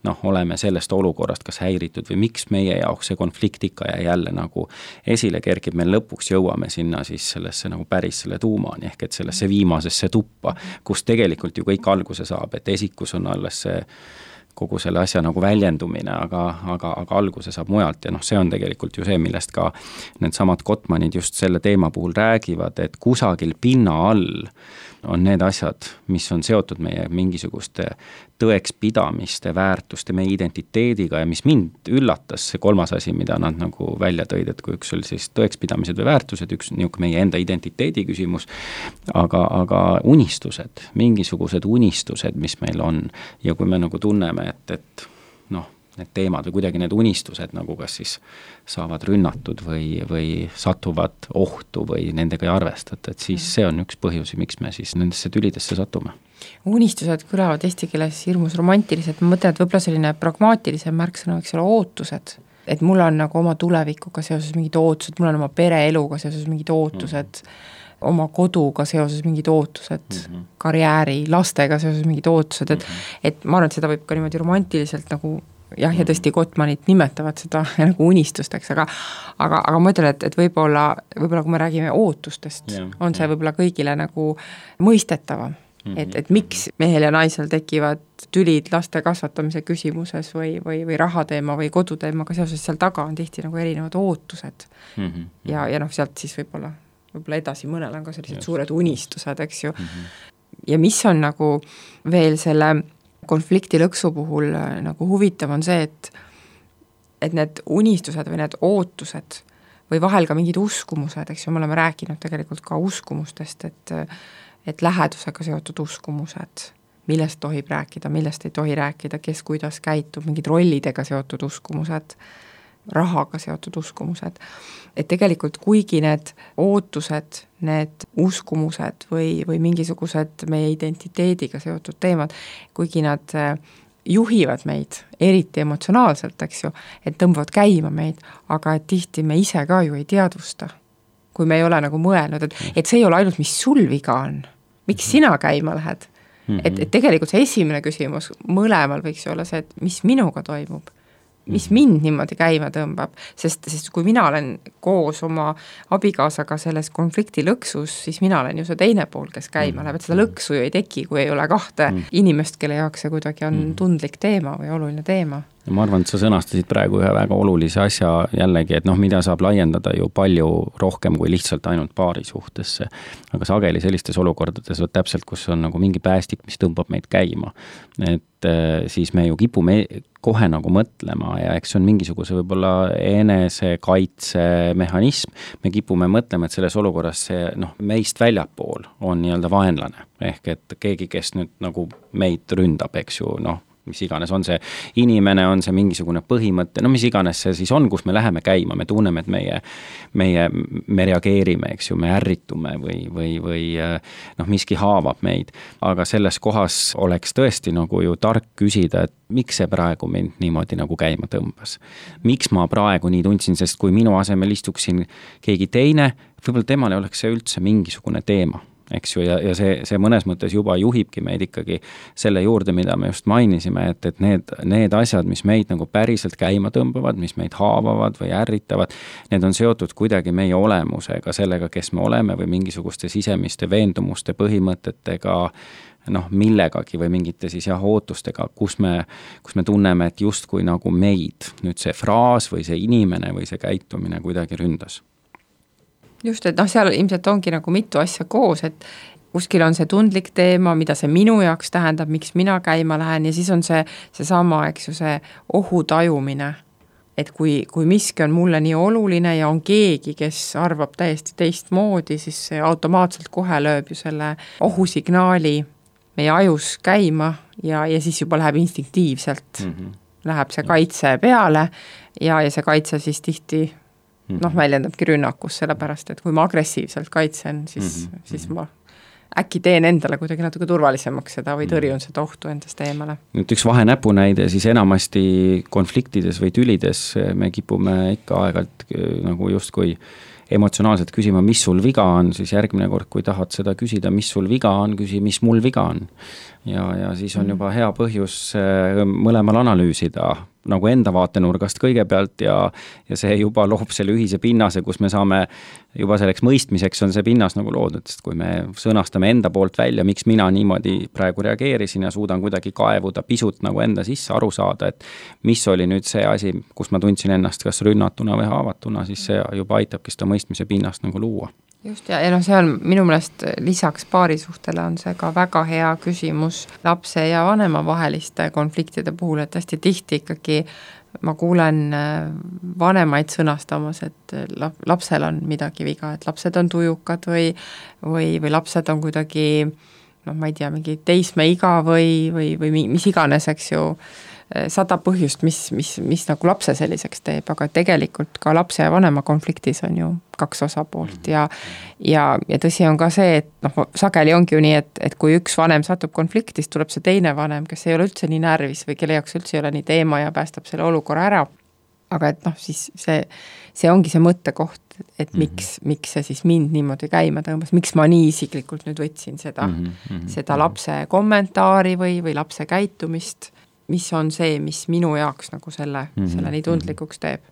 noh, oleme sellest olukorrast kas häiritud või miks meie jaoks see konflikt ikka ja jälle nagu esile kergib, me lõpuks jõuame sinna siis sellesse nagu päris selle tuumani ehk et sellesse viimasesse tuppa, kus tegelikult ju kõik alguse saab, et esikus on alles see kogu selle asja nagu väljendumine, aga, aga, aga alguse saab mujalt ja noh, see on tegelikult ju see, millest ka need samad Gottmanid just selle teema puhul räägivad, et kusagil pinna all on need asjad, mis on seotud meie mingisuguste tõekspidamiste, väärtuste, meie identiteediga ja mis mind üllatas, see kolmas asi, mida nad nagu välja tõid, et kui üks oli siis tõekspidamised või väärtused, üks niisugune meie enda identiteedi küsimus, aga, aga unistused, mingisugused unistused, mis meil on ja kui me nagu tunneme, et, et noh, need teemad või kuidagi need unistused nagu kas siis saavad rünnatud või, või satuvad ohtu või nendega ei arvestata, et siis see on üks põhjusi, miks me siis nendesse tülidesse satume. Unistused kõlavad eesti keeles hirmus romantilised, ma mõtlen, et võib-olla selline pragmaatilisem märksõna võiks olla ootused, et mul on nagu oma tulevikuga seoses mingid ootused, mul on oma pereeluga seoses mingid ootused, mm. oma koduga seoses mingid ootused, mm-hmm. karjääri, lastega seoses mingid ootused, et, mm-hmm. et ma arvan, et seda võib ka niimoodi romantiliselt nagu jah, ja tõesti Gottmanid nimetavad seda nagu unistusteks, aga, aga, aga ma ütlen, et, et võib-olla, võib-olla kui me räägime ootustest, yeah, on see yeah. võib-olla kõigile nagu mõistetavam, mm-hmm. et, et miks mehel ja naisel tekivad tülid laste kasvatamise küsimuses või, või, või rahateema või koduteemaga seoses, seal taga on tihti nagu erinevad ootused mm-hmm. ja, ja noh, sealt siis võib-olla, võib-olla edasi mõnel on ka sellised yes. suured unistused, eks ju, mm-hmm. ja mis on nagu veel selle konflikti lõksu puhul nagu huvitav on see, et, et need unistused või need ootused või vahel ka mingid uskumused, eks ju, me oleme rääkinud tegelikult ka uskumustest, et, et lähedusega seotud uskumused, millest tohib rääkida, millest ei tohi rääkida, kes kuidas käitub, mingid rollidega seotud uskumused, rahaga seotud uskumused, et tegelikult kuigi need ootused, need uskumused või, või mingisugused meie identiteediga seotud teemad, kuigi nad juhivad meid eriti emotsionaalselt, eks ju, et tõmbavad käima meid, aga et tihti me ise ka ju ei teadvusta, kui me ei ole nagu mõelnud, et, et see ei ole ainult, mis sul viga on, miks sina käima lähed, et, et tegelikult see esimene küsimus mõlemal võiks olla see, et mis minuga toimub, mis mind niimoodi käima tõmbab, sest, sest kui mina olen koos oma abikaasaga selles konflikti lõksus, siis mina olen ju see teine pool, kes käima läheb, et seda lõksu ju ei teki, kui ei ole kahte inimest, kelle jaoks see kuidagi on tundlik teema või oluline teema. Ma arvan, et sa sõnastasid praegu ühe väga olulise asja jällegi, et noh, mida saab laiendada ju palju rohkem kui lihtsalt ainult paari suhtesse. Aga sageli sellistes olukordades on täpselt, kus on nagu mingi päästik, mis tõmbab meid käima. Et siis me ju kipume kohe nagu mõtlema ja eks see on mingisuguse võib-olla enesekaitse mehhanism. Me kipume mõtlema, et selles olukorras see noh, meist väljapool on nii-öelda vaenlane. Ehk et keegi, kes nüüd nagu meid ründab, eks ju, noh, mis iganes on see inimene, on see mingisugune põhimõte, no mis iganes see siis on, kus me läheme käima, me tunneme, et meie, meie, me reageerime, eks ju, me ärritume või, või, või noh, miski haavab meid, aga selles kohas oleks tõesti nagu ju tark küsida, et miks see praegu mind niimoodi nagu käima tõmbas. Miks ma praegu nii tundsin, sest kui minu asemel istuksin keegi teine, võib-olla temal ei oleks see üldse mingisugune teema. eks ju, ja, ja see, see mõnes mõttes juba juhibki meid ikkagi selle juurde, mida me just mainisime, et, et need, need asjad, mis meid nagu päriselt käima tõmbavad, mis meid haavavad või ärritavad, need on seotud kuidagi meie olemusega, sellega, kes me oleme või mingisuguste sisemiste veendumuste, põhimõtetega, noh, millegagi või mingite siis jah, ootustega, kus me, kus me tunneme, et justkui nagu meid nüüd see fraas või see inimene või see käitumine kuidagi ründas. Just, et noh, seal ilmselt ongi nagu mitu asja koos, et kuskil on see tundlik teema, mida see minu jaoks tähendab, miks mina käima lähen ja siis on see, see sama, eks ju, see ohu tajumine. Et kui, kui miski on mulle nii oluline ja on keegi, kes arvab täiesti teistmoodi, siis see automaatselt kohe lööb ju selle ohusignaali meie ajus käima ja, ja siis juba läheb instinktiivselt, mm-hmm. läheb see kaitse peale ja, ja see kaitse siis tihti noh, väljendabki rünnakus, sellepärast, et kui ma agressiivselt kaitsen, siis, mm-hmm. siis ma äkki teen endale kuidagi natuke turvalisemaks seda või tõrjun seda ohtu endast eemale. Nüüd üks vahenäpunäide, siis enamasti konfliktides või tülides me kipume ikka aegalt nagu justkui emotsionaalselt küsima, mis sul viga on, siis järgmine kord, kui tahad seda küsida, mis sul viga on, küsi, mis mul viga on. Ja, ja siis on juba hea põhjus mõlemal analüüsida nagu enda vaatenurgast kõigepealt ja, ja see juba loob selle ühise pinnase, kus me saame juba selleks mõistmiseks on see pinnas nagu loodud, sest kui me sõnastame enda poolt välja, miks mina niimoodi praegu reageerisin ja suudan kuidagi kaevuda pisut nagu enda sisse aru saada, et mis oli nüüd see asi, kus ma tundsin ennast kas rünnatuna või haavatuna, siis see juba aitabki seda mõistmise pinnast nagu luua. Just, ja, ja noh, see on minu meelest lisaks paarisuhtele on see ka väga hea küsimus lapse ja vanema vaheliste konfliktide puhul, et hästi tihti ikkagi ma kuulen vanemaid sõnastamas, et lapsel on midagi viga, et lapsed on tujukad või, või, või lapsed on kuidagi, noh, ma ei tea, mingi teismeiga või, või, või mis iganes, eks ju, sada põhjust, mis, mis, mis nagu lapse selliseks teeb, aga tegelikult ka lapse ja vanema konfliktis on ju kaks osapoolt ja, ja, ja tõsi on ka see, et noh, sageli ongi ju nii, et, et kui üks vanem satub konfliktis, tuleb see teine vanem, kes ei ole üldse nii närvis või kelle jaoks üldse ei ole nii teema ja päästab selle olukorra ära. Aga et noh, siis see, see ongi see mõttekoht, et miks, mm-hmm. miks see siis mind niimoodi käima tõmbas, miks ma nii isiklikult nüüd võtsin seda, mm-hmm. seda lapse kommentaari või, või lapse käitumist, mis on see, mis minu jaoks nagu selle, mm-hmm. selle nii tundlikuks teeb.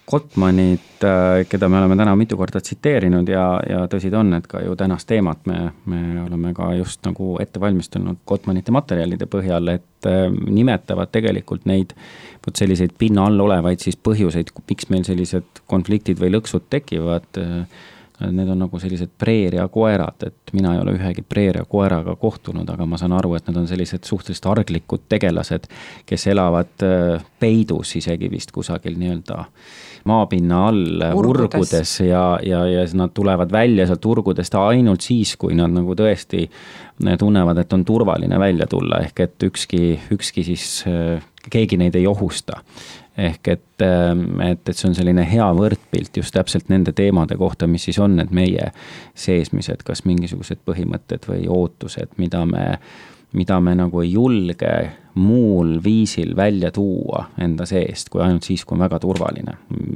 Gottmanit, keda me oleme täna mitu korda tsiteerinud ja, ja tõsid on, et ka ju tänast teemat me, me oleme ka just nagu ette valmistunud Gottmanite materjalide põhjal, et nimetavad tegelikult neid võt selliseid pinna all olevaid siis põhjuseid, miks meil sellised konfliktid või lõksud tekivad. Need on nagu sellised preeria koerad, et mina ei ole ühegi preeria koeraga kohtunud, aga ma saan aru, et need on sellised suhteliselt arglikud tegelased, kes elavad peidus isegi vist kusagil nii-öelda maapinna all urgudes, urgudes ja, ja, ja nad tulevad välja sealt urgudest ainult siis, kui nad nagu tõesti tunnevad, et on turvaline välja tulla, ehk et ükski, ükski siis keegi neid ei ohusta. Ehk et, et, et see on selline hea võrdpilt just täpselt nende teemade kohta, mis siis on need meie seesmised, kas mingisugused põhimõtted või ootused, mida me, mida me nagu ei julge muul viisil välja tuua enda seest, kui ainult siis, kui on väga turvaline.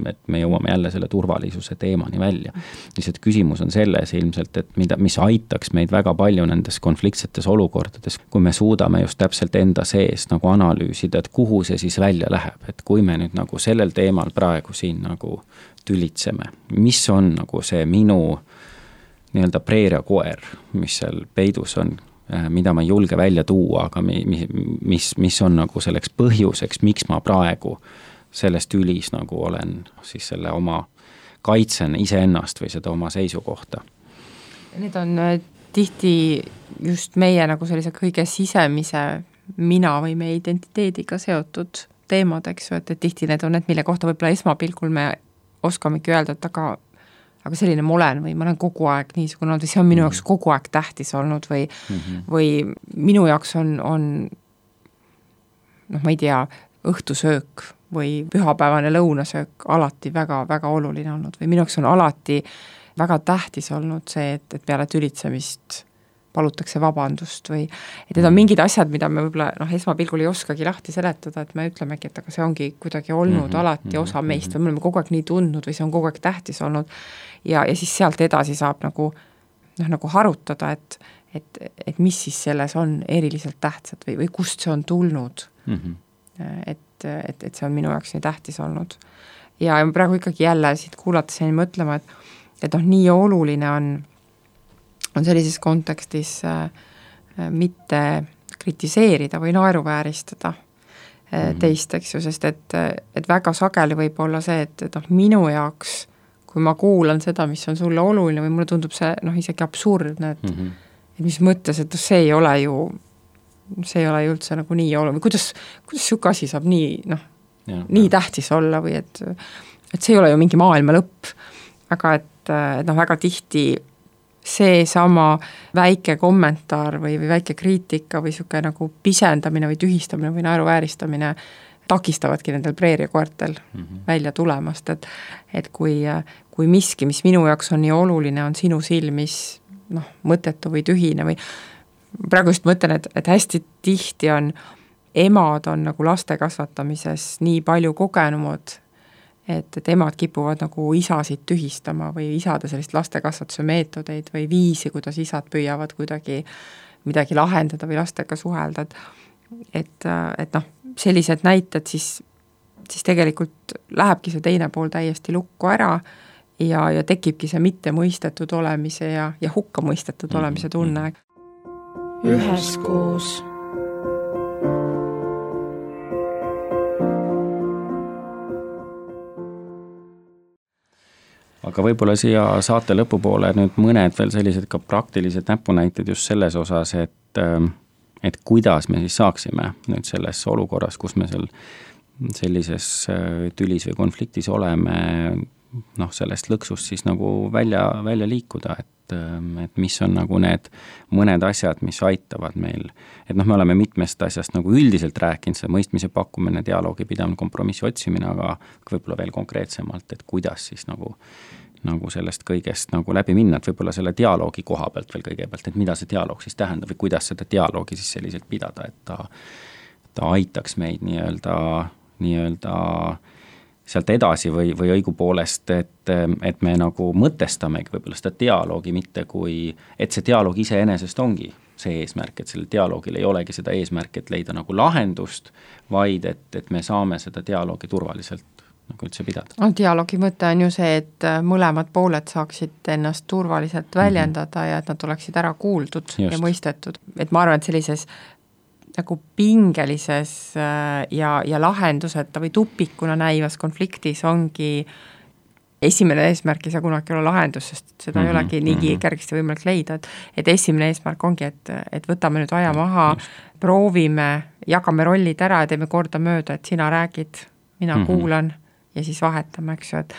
Et me jõuame jälle selle turvalisuse teemani välja. Lihtsalt küsimus on selles ilmselt, et mida, mis aitaks meid väga palju nendes konfliktsetes olukordades, kui me suudame just täpselt enda seest nagu analüüsida, et kuhu see siis välja läheb. Et kui me nüüd nagu sellel teemal praegu siin nagu tülitseme, mis on nagu see minu nii-öelda preeria koer, mis seal peidus on, mida ma ei julge välja tuua, aga mis, mis, mis on nagu selleks põhjuseks, miks ma praegu sellest ülis nagu olen siis selle oma kaitsen iseennast või seda oma seisukohta. Need on tihti just meie nagu sellise kõige sisemise mina või meie identiteediga seotud teemad, eks ju, et, et tihti need on need, mille kohta võib-olla esmapilgul me oskamegi öelda, et aga aga selline ma olen või ma olen kogu aeg niisugune olnud või see on minu jaoks kogu aeg tähtis olnud või, mm-hmm. või minu jaoks on, on noh, ma ei tea, õhtusöök või pühapäevane lõunasöök alati väga, väga oluline olnud või minu jaoks on alati väga tähtis olnud see, et, et peale tülitsemist palutakse vabandust või et need on mingid asjad, mida me võib-olla noh, esmapilgul ei oskagi lahti seletada, et me ütlemegi, et aga see ongi kuidagi olnud mm-hmm. alati osa meist või me oleme kogu aeg nii tundnud või see on kogu aeg tähtis olnud ja, ja siis sealt edasi saab nagu noh, nagu harutada, et, et, et mis siis selles on eriliselt tähtsad või, või kust see on tulnud mm. -hmm. et, et, et see on minu jaoks nii tähtis olnud. Ja praegu ikkagi jälle siit kuulates jäin mõtlema, et, et noh, nii oluline on, on sellises kontekstis äh, mitte kritiseerida või naeruvääristada mm-hmm. teist, eks ju, sest et, et väga sageli võib olla see, et, et noh, minu jaoks, kui ma kuulan seda, mis on sulle oluline või mulle tundub see noh, isegi absurdne, et, mm-hmm. et mis mõttes, et see ei ole ju, see ei ole ju üldse nagu nii oluline, kuidas, kuidas siuke asi saab nii, noh, nii ja. tähtis olla või et, et see ei ole ju mingi maailma lõpp, aga et, et noh, väga tihti see sama väike kommentaar või, või väike kriitika või siuke nagu pisendamine või tühistamine või naeruvääristamine takistavadki nendel preeriakoertel mm-hmm. välja tulemast, et, et kui, kui miski, mis minu jaoks on nii oluline, on sinu silmis noh, mõttetu või tühine või praegu just mõtlen, et, et hästi tihti on, emad on nagu laste kasvatamises nii palju kogenumad, et, et emad kipuvad nagu isasid tühistama või isade sellist lastekasvatuse meetodeid või viisi, kuidas isad püüavad kuidagi midagi lahendada või lastega suhelda, et, et, et noh, sellised näited siis, siis tegelikult lähebki see teine pool täiesti lukku ära ja, ja tekibki see mitte mõistetud olemise ja, ja hukka mõistetud mm-hmm. olemise tunne. Üheskoos. Aga võib-olla siia saate lõpupoole nüüd mõned veel sellised ka praktilised näpunäited just selles osas, et, et kuidas me siis saaksime nüüd selles olukorras, kus me seal sellises tülis või konfliktis oleme, noh, sellest lõksust siis nagu välja, välja liikuda, et, et mis on nagu need mõned asjad, mis aitavad meil. Et noh, me oleme mitmest asjast nagu üldiselt rääkinud, see mõistmise pakkumine, dialoogi pidamine, kompromissi otsimine, aga võib-olla veel konkreetsemalt, et kuidas siis nagu nagu sellest kõigest nagu läbi minna, et võib-olla selle dialoogi koha pealt veel kõigepealt, et mida see dialoog siis tähendab või kuidas seda dialoogi siis selliselt pidada, et ta, ta aitaks meid nii-öelda, nii-öelda sealt edasi või, või õigupoolest, et, et me nagu mõtestamegi võib-olla seda dialoogi mitte kui, et see dialoog iseenesest ongi see eesmärk, et sellel dialoogil ei olegi seda eesmärk, et leida nagu lahendust, vaid et, et me saame seda dialoogi turvaliselt nagu üldse pidada. No, dialoogi mõte on ju see, et mõlemad pooled saaksid ennast turvaliselt väljendada mm-hmm. ja et nad oleksid ära kuuldud Just. ja mõistetud. Et ma arvan, et sellises nagu pingelises ja, ja lahenduseta või tupikuna näivas konfliktis ongi esimene eesmärk ei saa kunagi olla lahendus, sest seda mm-hmm. ei olegi niigi mm-hmm. kergesti võimalik leida, et, et esimene eesmärk ongi, et, et võtame nüüd aja maha, Just. proovime, jagame rollid ära ja teeme korda mööda, et sina räägid, mina mm-hmm. kuulan ja siis vahetame, eks ju, et,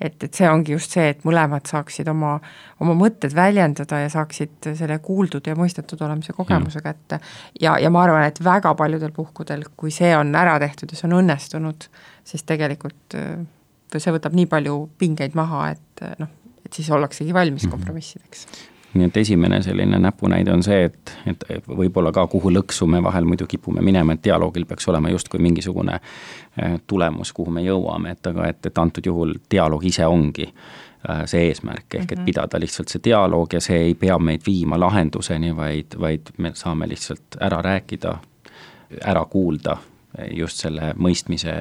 et, et see ongi just see, et mõlemad saaksid oma, oma mõtted väljendada ja saaksid selle kuuldud ja mõistetud olemise kogemuse mm. kätte. Ja, ja ma arvan, et väga paljudel puhkudel, kui see on ära tehtud ja see on õnnestunud, siis tegelikult see võtab nii palju pingeid maha, et, noh, et siis ollaksegi valmis mm. kompromissideks. Nii et esimene selline näpunäide on see, et, et võib-olla ka kuhu lõksu me vahel muidu kipume minema, et dialoogil peaks olema just kui mingisugune tulemus, kuhu me jõuame, et aga et, et antud juhul dialoog ise ongi see eesmärk, ehk et pidada lihtsalt see dialoog ja see ei pea meid viima lahenduseni, vaid, vaid me saame lihtsalt ära rääkida, ära kuulda just selle mõistmise,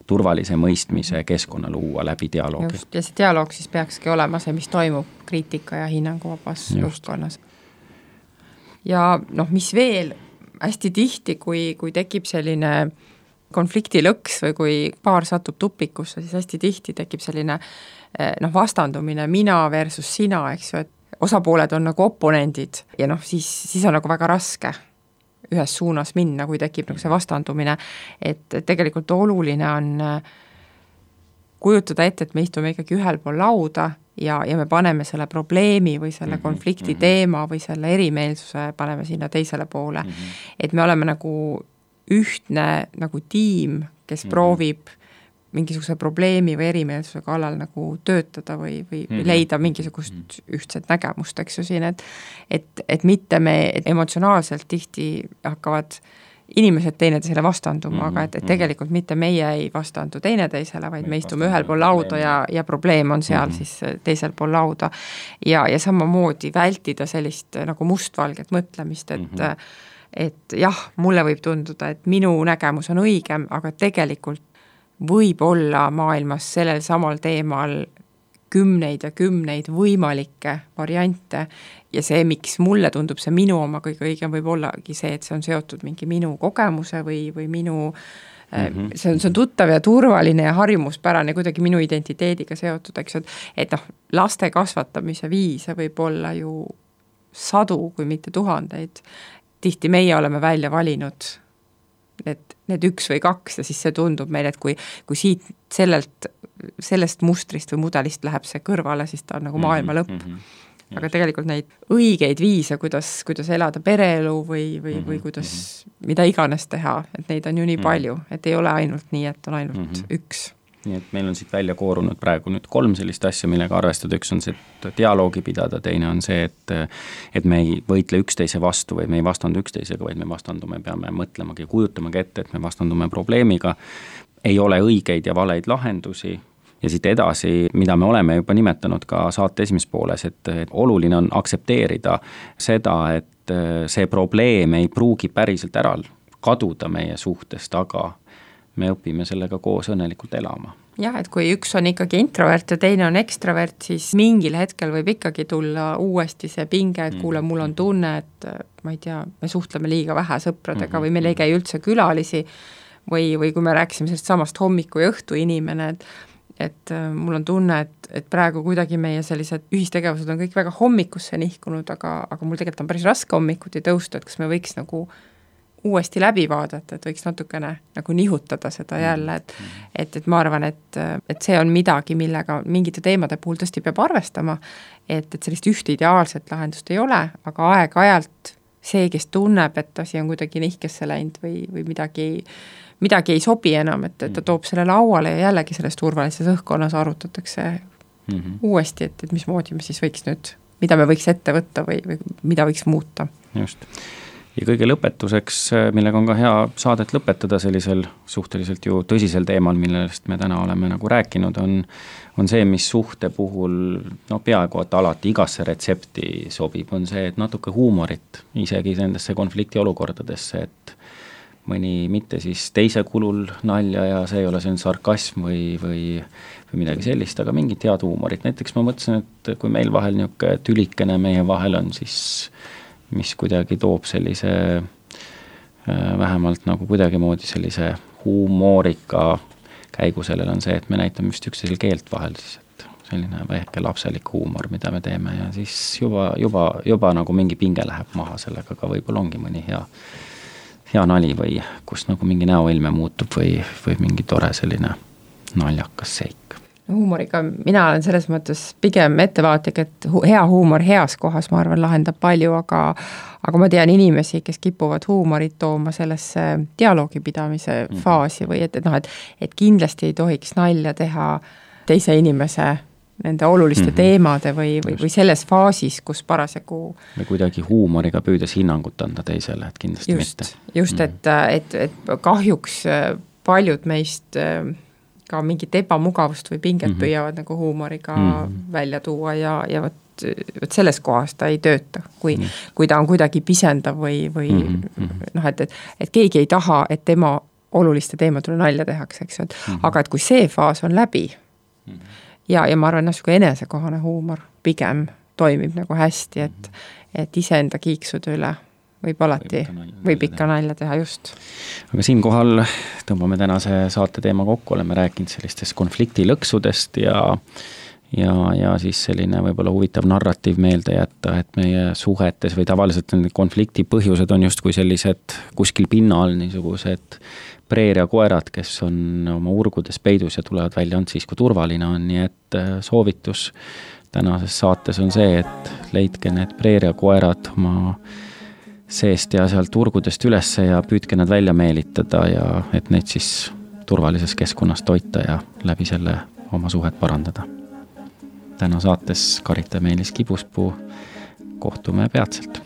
turvalise mõistmise keskkonna luua läbi dialoogi. Just, ja see dialoog siis peakski olema see, mis toimub kriitika ja hinnanguvabas juhtkonnas. Ja noh, mis veel hästi tihti, kui, kui tekib selline konflikti lõks või kui paar satub tupikusse, siis hästi tihti tekib selline noh, vastandumine mina versus sina, eks ju, et osapooled on nagu oponendid ja noh, siis, siis on nagu väga raske ühes suunas minna, kui tekib nagu see vastandumine, et tegelikult oluline on kujutada ette, et me istume ikkagi ühel pool lauda ja, ja me paneme selle probleemi või selle konflikti teema või selle erimeelsuse paneme sinna teisele poole. Et me oleme nagu ühtne nagu tiim, kes proovib mingisuguse probleemi või erimeelsuse kallal nagu töötada või, või, või leida mingisugust ühtset nägemust, eks ju siin, et, et, et mitte me emotsionaalselt tihti hakkavad inimesed teineteisele vastanduma mm, -hmm, aga et, et mm -hmm. tegelikult mitte meie ei vastandu teineteisele, vaid me, me istume ühel pool lauda ja, ja probleem on seal mm -hmm. siis teisel pool lauda. Ja, ja samamoodi vältida sellist nagu mustvalget mõtlemist, et mm -hmm. et jah, mulle võib tunduda, et minu nägemus on õigem, aga tegelikult võib olla maailmas sellel samal teemal kümneid ja kümneid võimalikke variante ja see, miks mulle tundub see minu oma kõige õigem, võib ollagi see, et see on seotud mingi minu kogemuse või, või minu mm-hmm. see on, see on tuttav ja turvaline ja harjumuspärane kuidagi minu identiteediga seotud, eks, et, et noh, laste kasvatamise viise võib olla ju sadu, kui mitte tuhandeid. Tihti meie oleme välja valinud need, need üks või kaks ja siis see tundub meile, et kui, kui siit sellelt, sellest mustrist või mudelist läheb see kõrvale, siis ta on nagu maailma lõpp. Mm-hmm. Aga tegelikult neid õigeid viise, kuidas, kuidas elada pereelu või, või, või kuidas mida iganes teha, et neid on ju nii palju, et ei ole ainult nii, et on ainult mm-hmm. üks. Nii et meil on siit välja koorunud praegu nüüd kolm sellist asja, millega arvestada. Üks on see, et dialoogi pidada, teine on see, et, et me ei võitle üksteise vastu või me ei vastandu üksteisega, vaid me vastandume, peame mõtlemagi ja kujutamagi ette, et me vastandume probleemiga. Ei ole õigeid ja valeid lahendusi. Ja siit edasi, mida me oleme juba nimetanud ka saate esimeses pooles, et, et oluline on aksepteerida seda, et see probleem ei pruugi päriselt ära kaduda meie suhtest, aga me õpime sellega koos õnnelikult elama. Jah, et kui üks on ikkagi introvert ja teine on ekstrovert, siis mingil hetkel võib ikkagi tulla uuesti see pinge, et kuule, mul on tunne, et ma ei tea, me suhtleme liiga vähe sõpradega või meil ei käi üldse külalisi või, või kui me rääkisime sellest samast hommiku ja õhtu inimene, et et mul on tunne, et, et praegu kuidagi meie sellised ühistegevused on kõik väga hommikusse nihkunud, aga, aga mul tegelikult on päris raske hommikuti tõusta, et kas me võiks nagu uuesti läbi vaadata, et võiks natukene nagu nihutada seda jälle, et, et, et ma arvan, et, et see on midagi, millega mingite teemade puhul tõesti peab arvestama, et, et sellist ühte ideaalset lahendust ei ole, aga aeg-ajalt see, kes tunneb, et asi on kuidagi nihkesse läinud või, või midagi midagi ei sobi enam, et, et ta toob selle lauale ja jällegi selles turvalises õhkkonnas arutatakse mm-hmm. uuesti, et, et mismoodi me siis võiks nüüd, mida me võiks ette võtta või, või mida võiks muuta. Just. Ja kõige lõpetuseks, millega on ka hea saadet lõpetada sellisel suhteliselt ju tõsisel teemal, millest me täna oleme nagu rääkinud, on, on see, mis suhte puhul no peaaegu et alati igasse retsepti sobib, on see, et natuke huumorit isegi nendesse konfliktiolukordadesse, et mõni mitte siis teise kulul nalja ja see ei ole see sarkasm või, või, või midagi sellist, aga mingit head huumorit. Näiteks ma mõtlesin, et kui meil vahel niisugune tülikene meie vahel on, siis mis kuidagi toob sellise vähemalt nagu kuidagimoodi sellise huumorika käigu sellel on see, et me näitame just üksteisel keelt vahel siis, et selline väike lapselik huumor, mida me teeme ja siis juba, juba, juba nagu mingi pinge läheb maha sellega, aga võib-olla ongi mõni hea hea nali või kus nagu mingi näoilme muutub või, või mingi tore selline naljakas seik. Huumoriga mina olen selles mõttes pigem ettevaatlik, et hea huumor heas kohas, ma arvan, lahendab palju, aga, aga ma tean inimesi, kes kipuvad huumorit tooma sellesse dialoogi pidamise mm-hmm. faasi või et, et noh, et, et kindlasti ei tohiks nalja teha teise inimese nende oluliste mm-hmm. teemade või, või, või selles faasis, kus parasjagu või kuidagi huumoriga püüdes hinnangut anda teisele, et kindlasti just, mitte. Just, mm-hmm. et, et, et kahjuks paljud meist ka mingit ebamugavust või pinget mm-hmm. püüavad nagu huumoriga mm-hmm. välja tuua ja, ja võt, võt selles kohas ta ei tööta, kui, mm-hmm. kui ta on kuidagi pisendav või, või mm-hmm. noh, et, et, et keegi ei taha, et tema oluliste teemadele nalja tehakse, eks, et mm-hmm. aga et kui see faas on läbi mm-hmm. ja, ja ma arvan, niisugune enesekohane huumor pigem toimib nagu hästi, et, et iseenda kiiksude üle võib alati, võib ikka nalja teha, just. Aga siinkohal tõmbame tänase saate teema kokku, oleme rääkinud sellistest konfliktilõksudest ja, ja, ja siis selline võib-olla huvitav narratiiv meelde jätta, et meie suhetes või tavaliselt konflikti põhjused on justkui sellised kuskil pinna all niisugused preeriakoerad, kes on oma urgudes peidus ja tulevad välja ainult siis, kui turvaline on, nii et soovitus tänases saates on see, et leidke need preeriakoerad oma seest ja sealt urgudest ülesse ja püüdke nad välja meelitada ja et neid siis turvalises keskkonnas toita ja läbi selle oma suhet parandada. Täna saates Karita Meelis Kibuspuu, kohtume peatselt.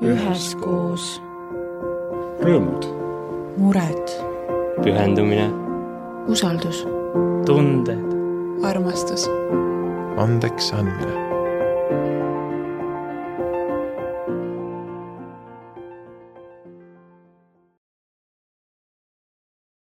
üheskoos, rõõmud, mured, pühendumine, usaldus, tunded, armastus, andeks andmine.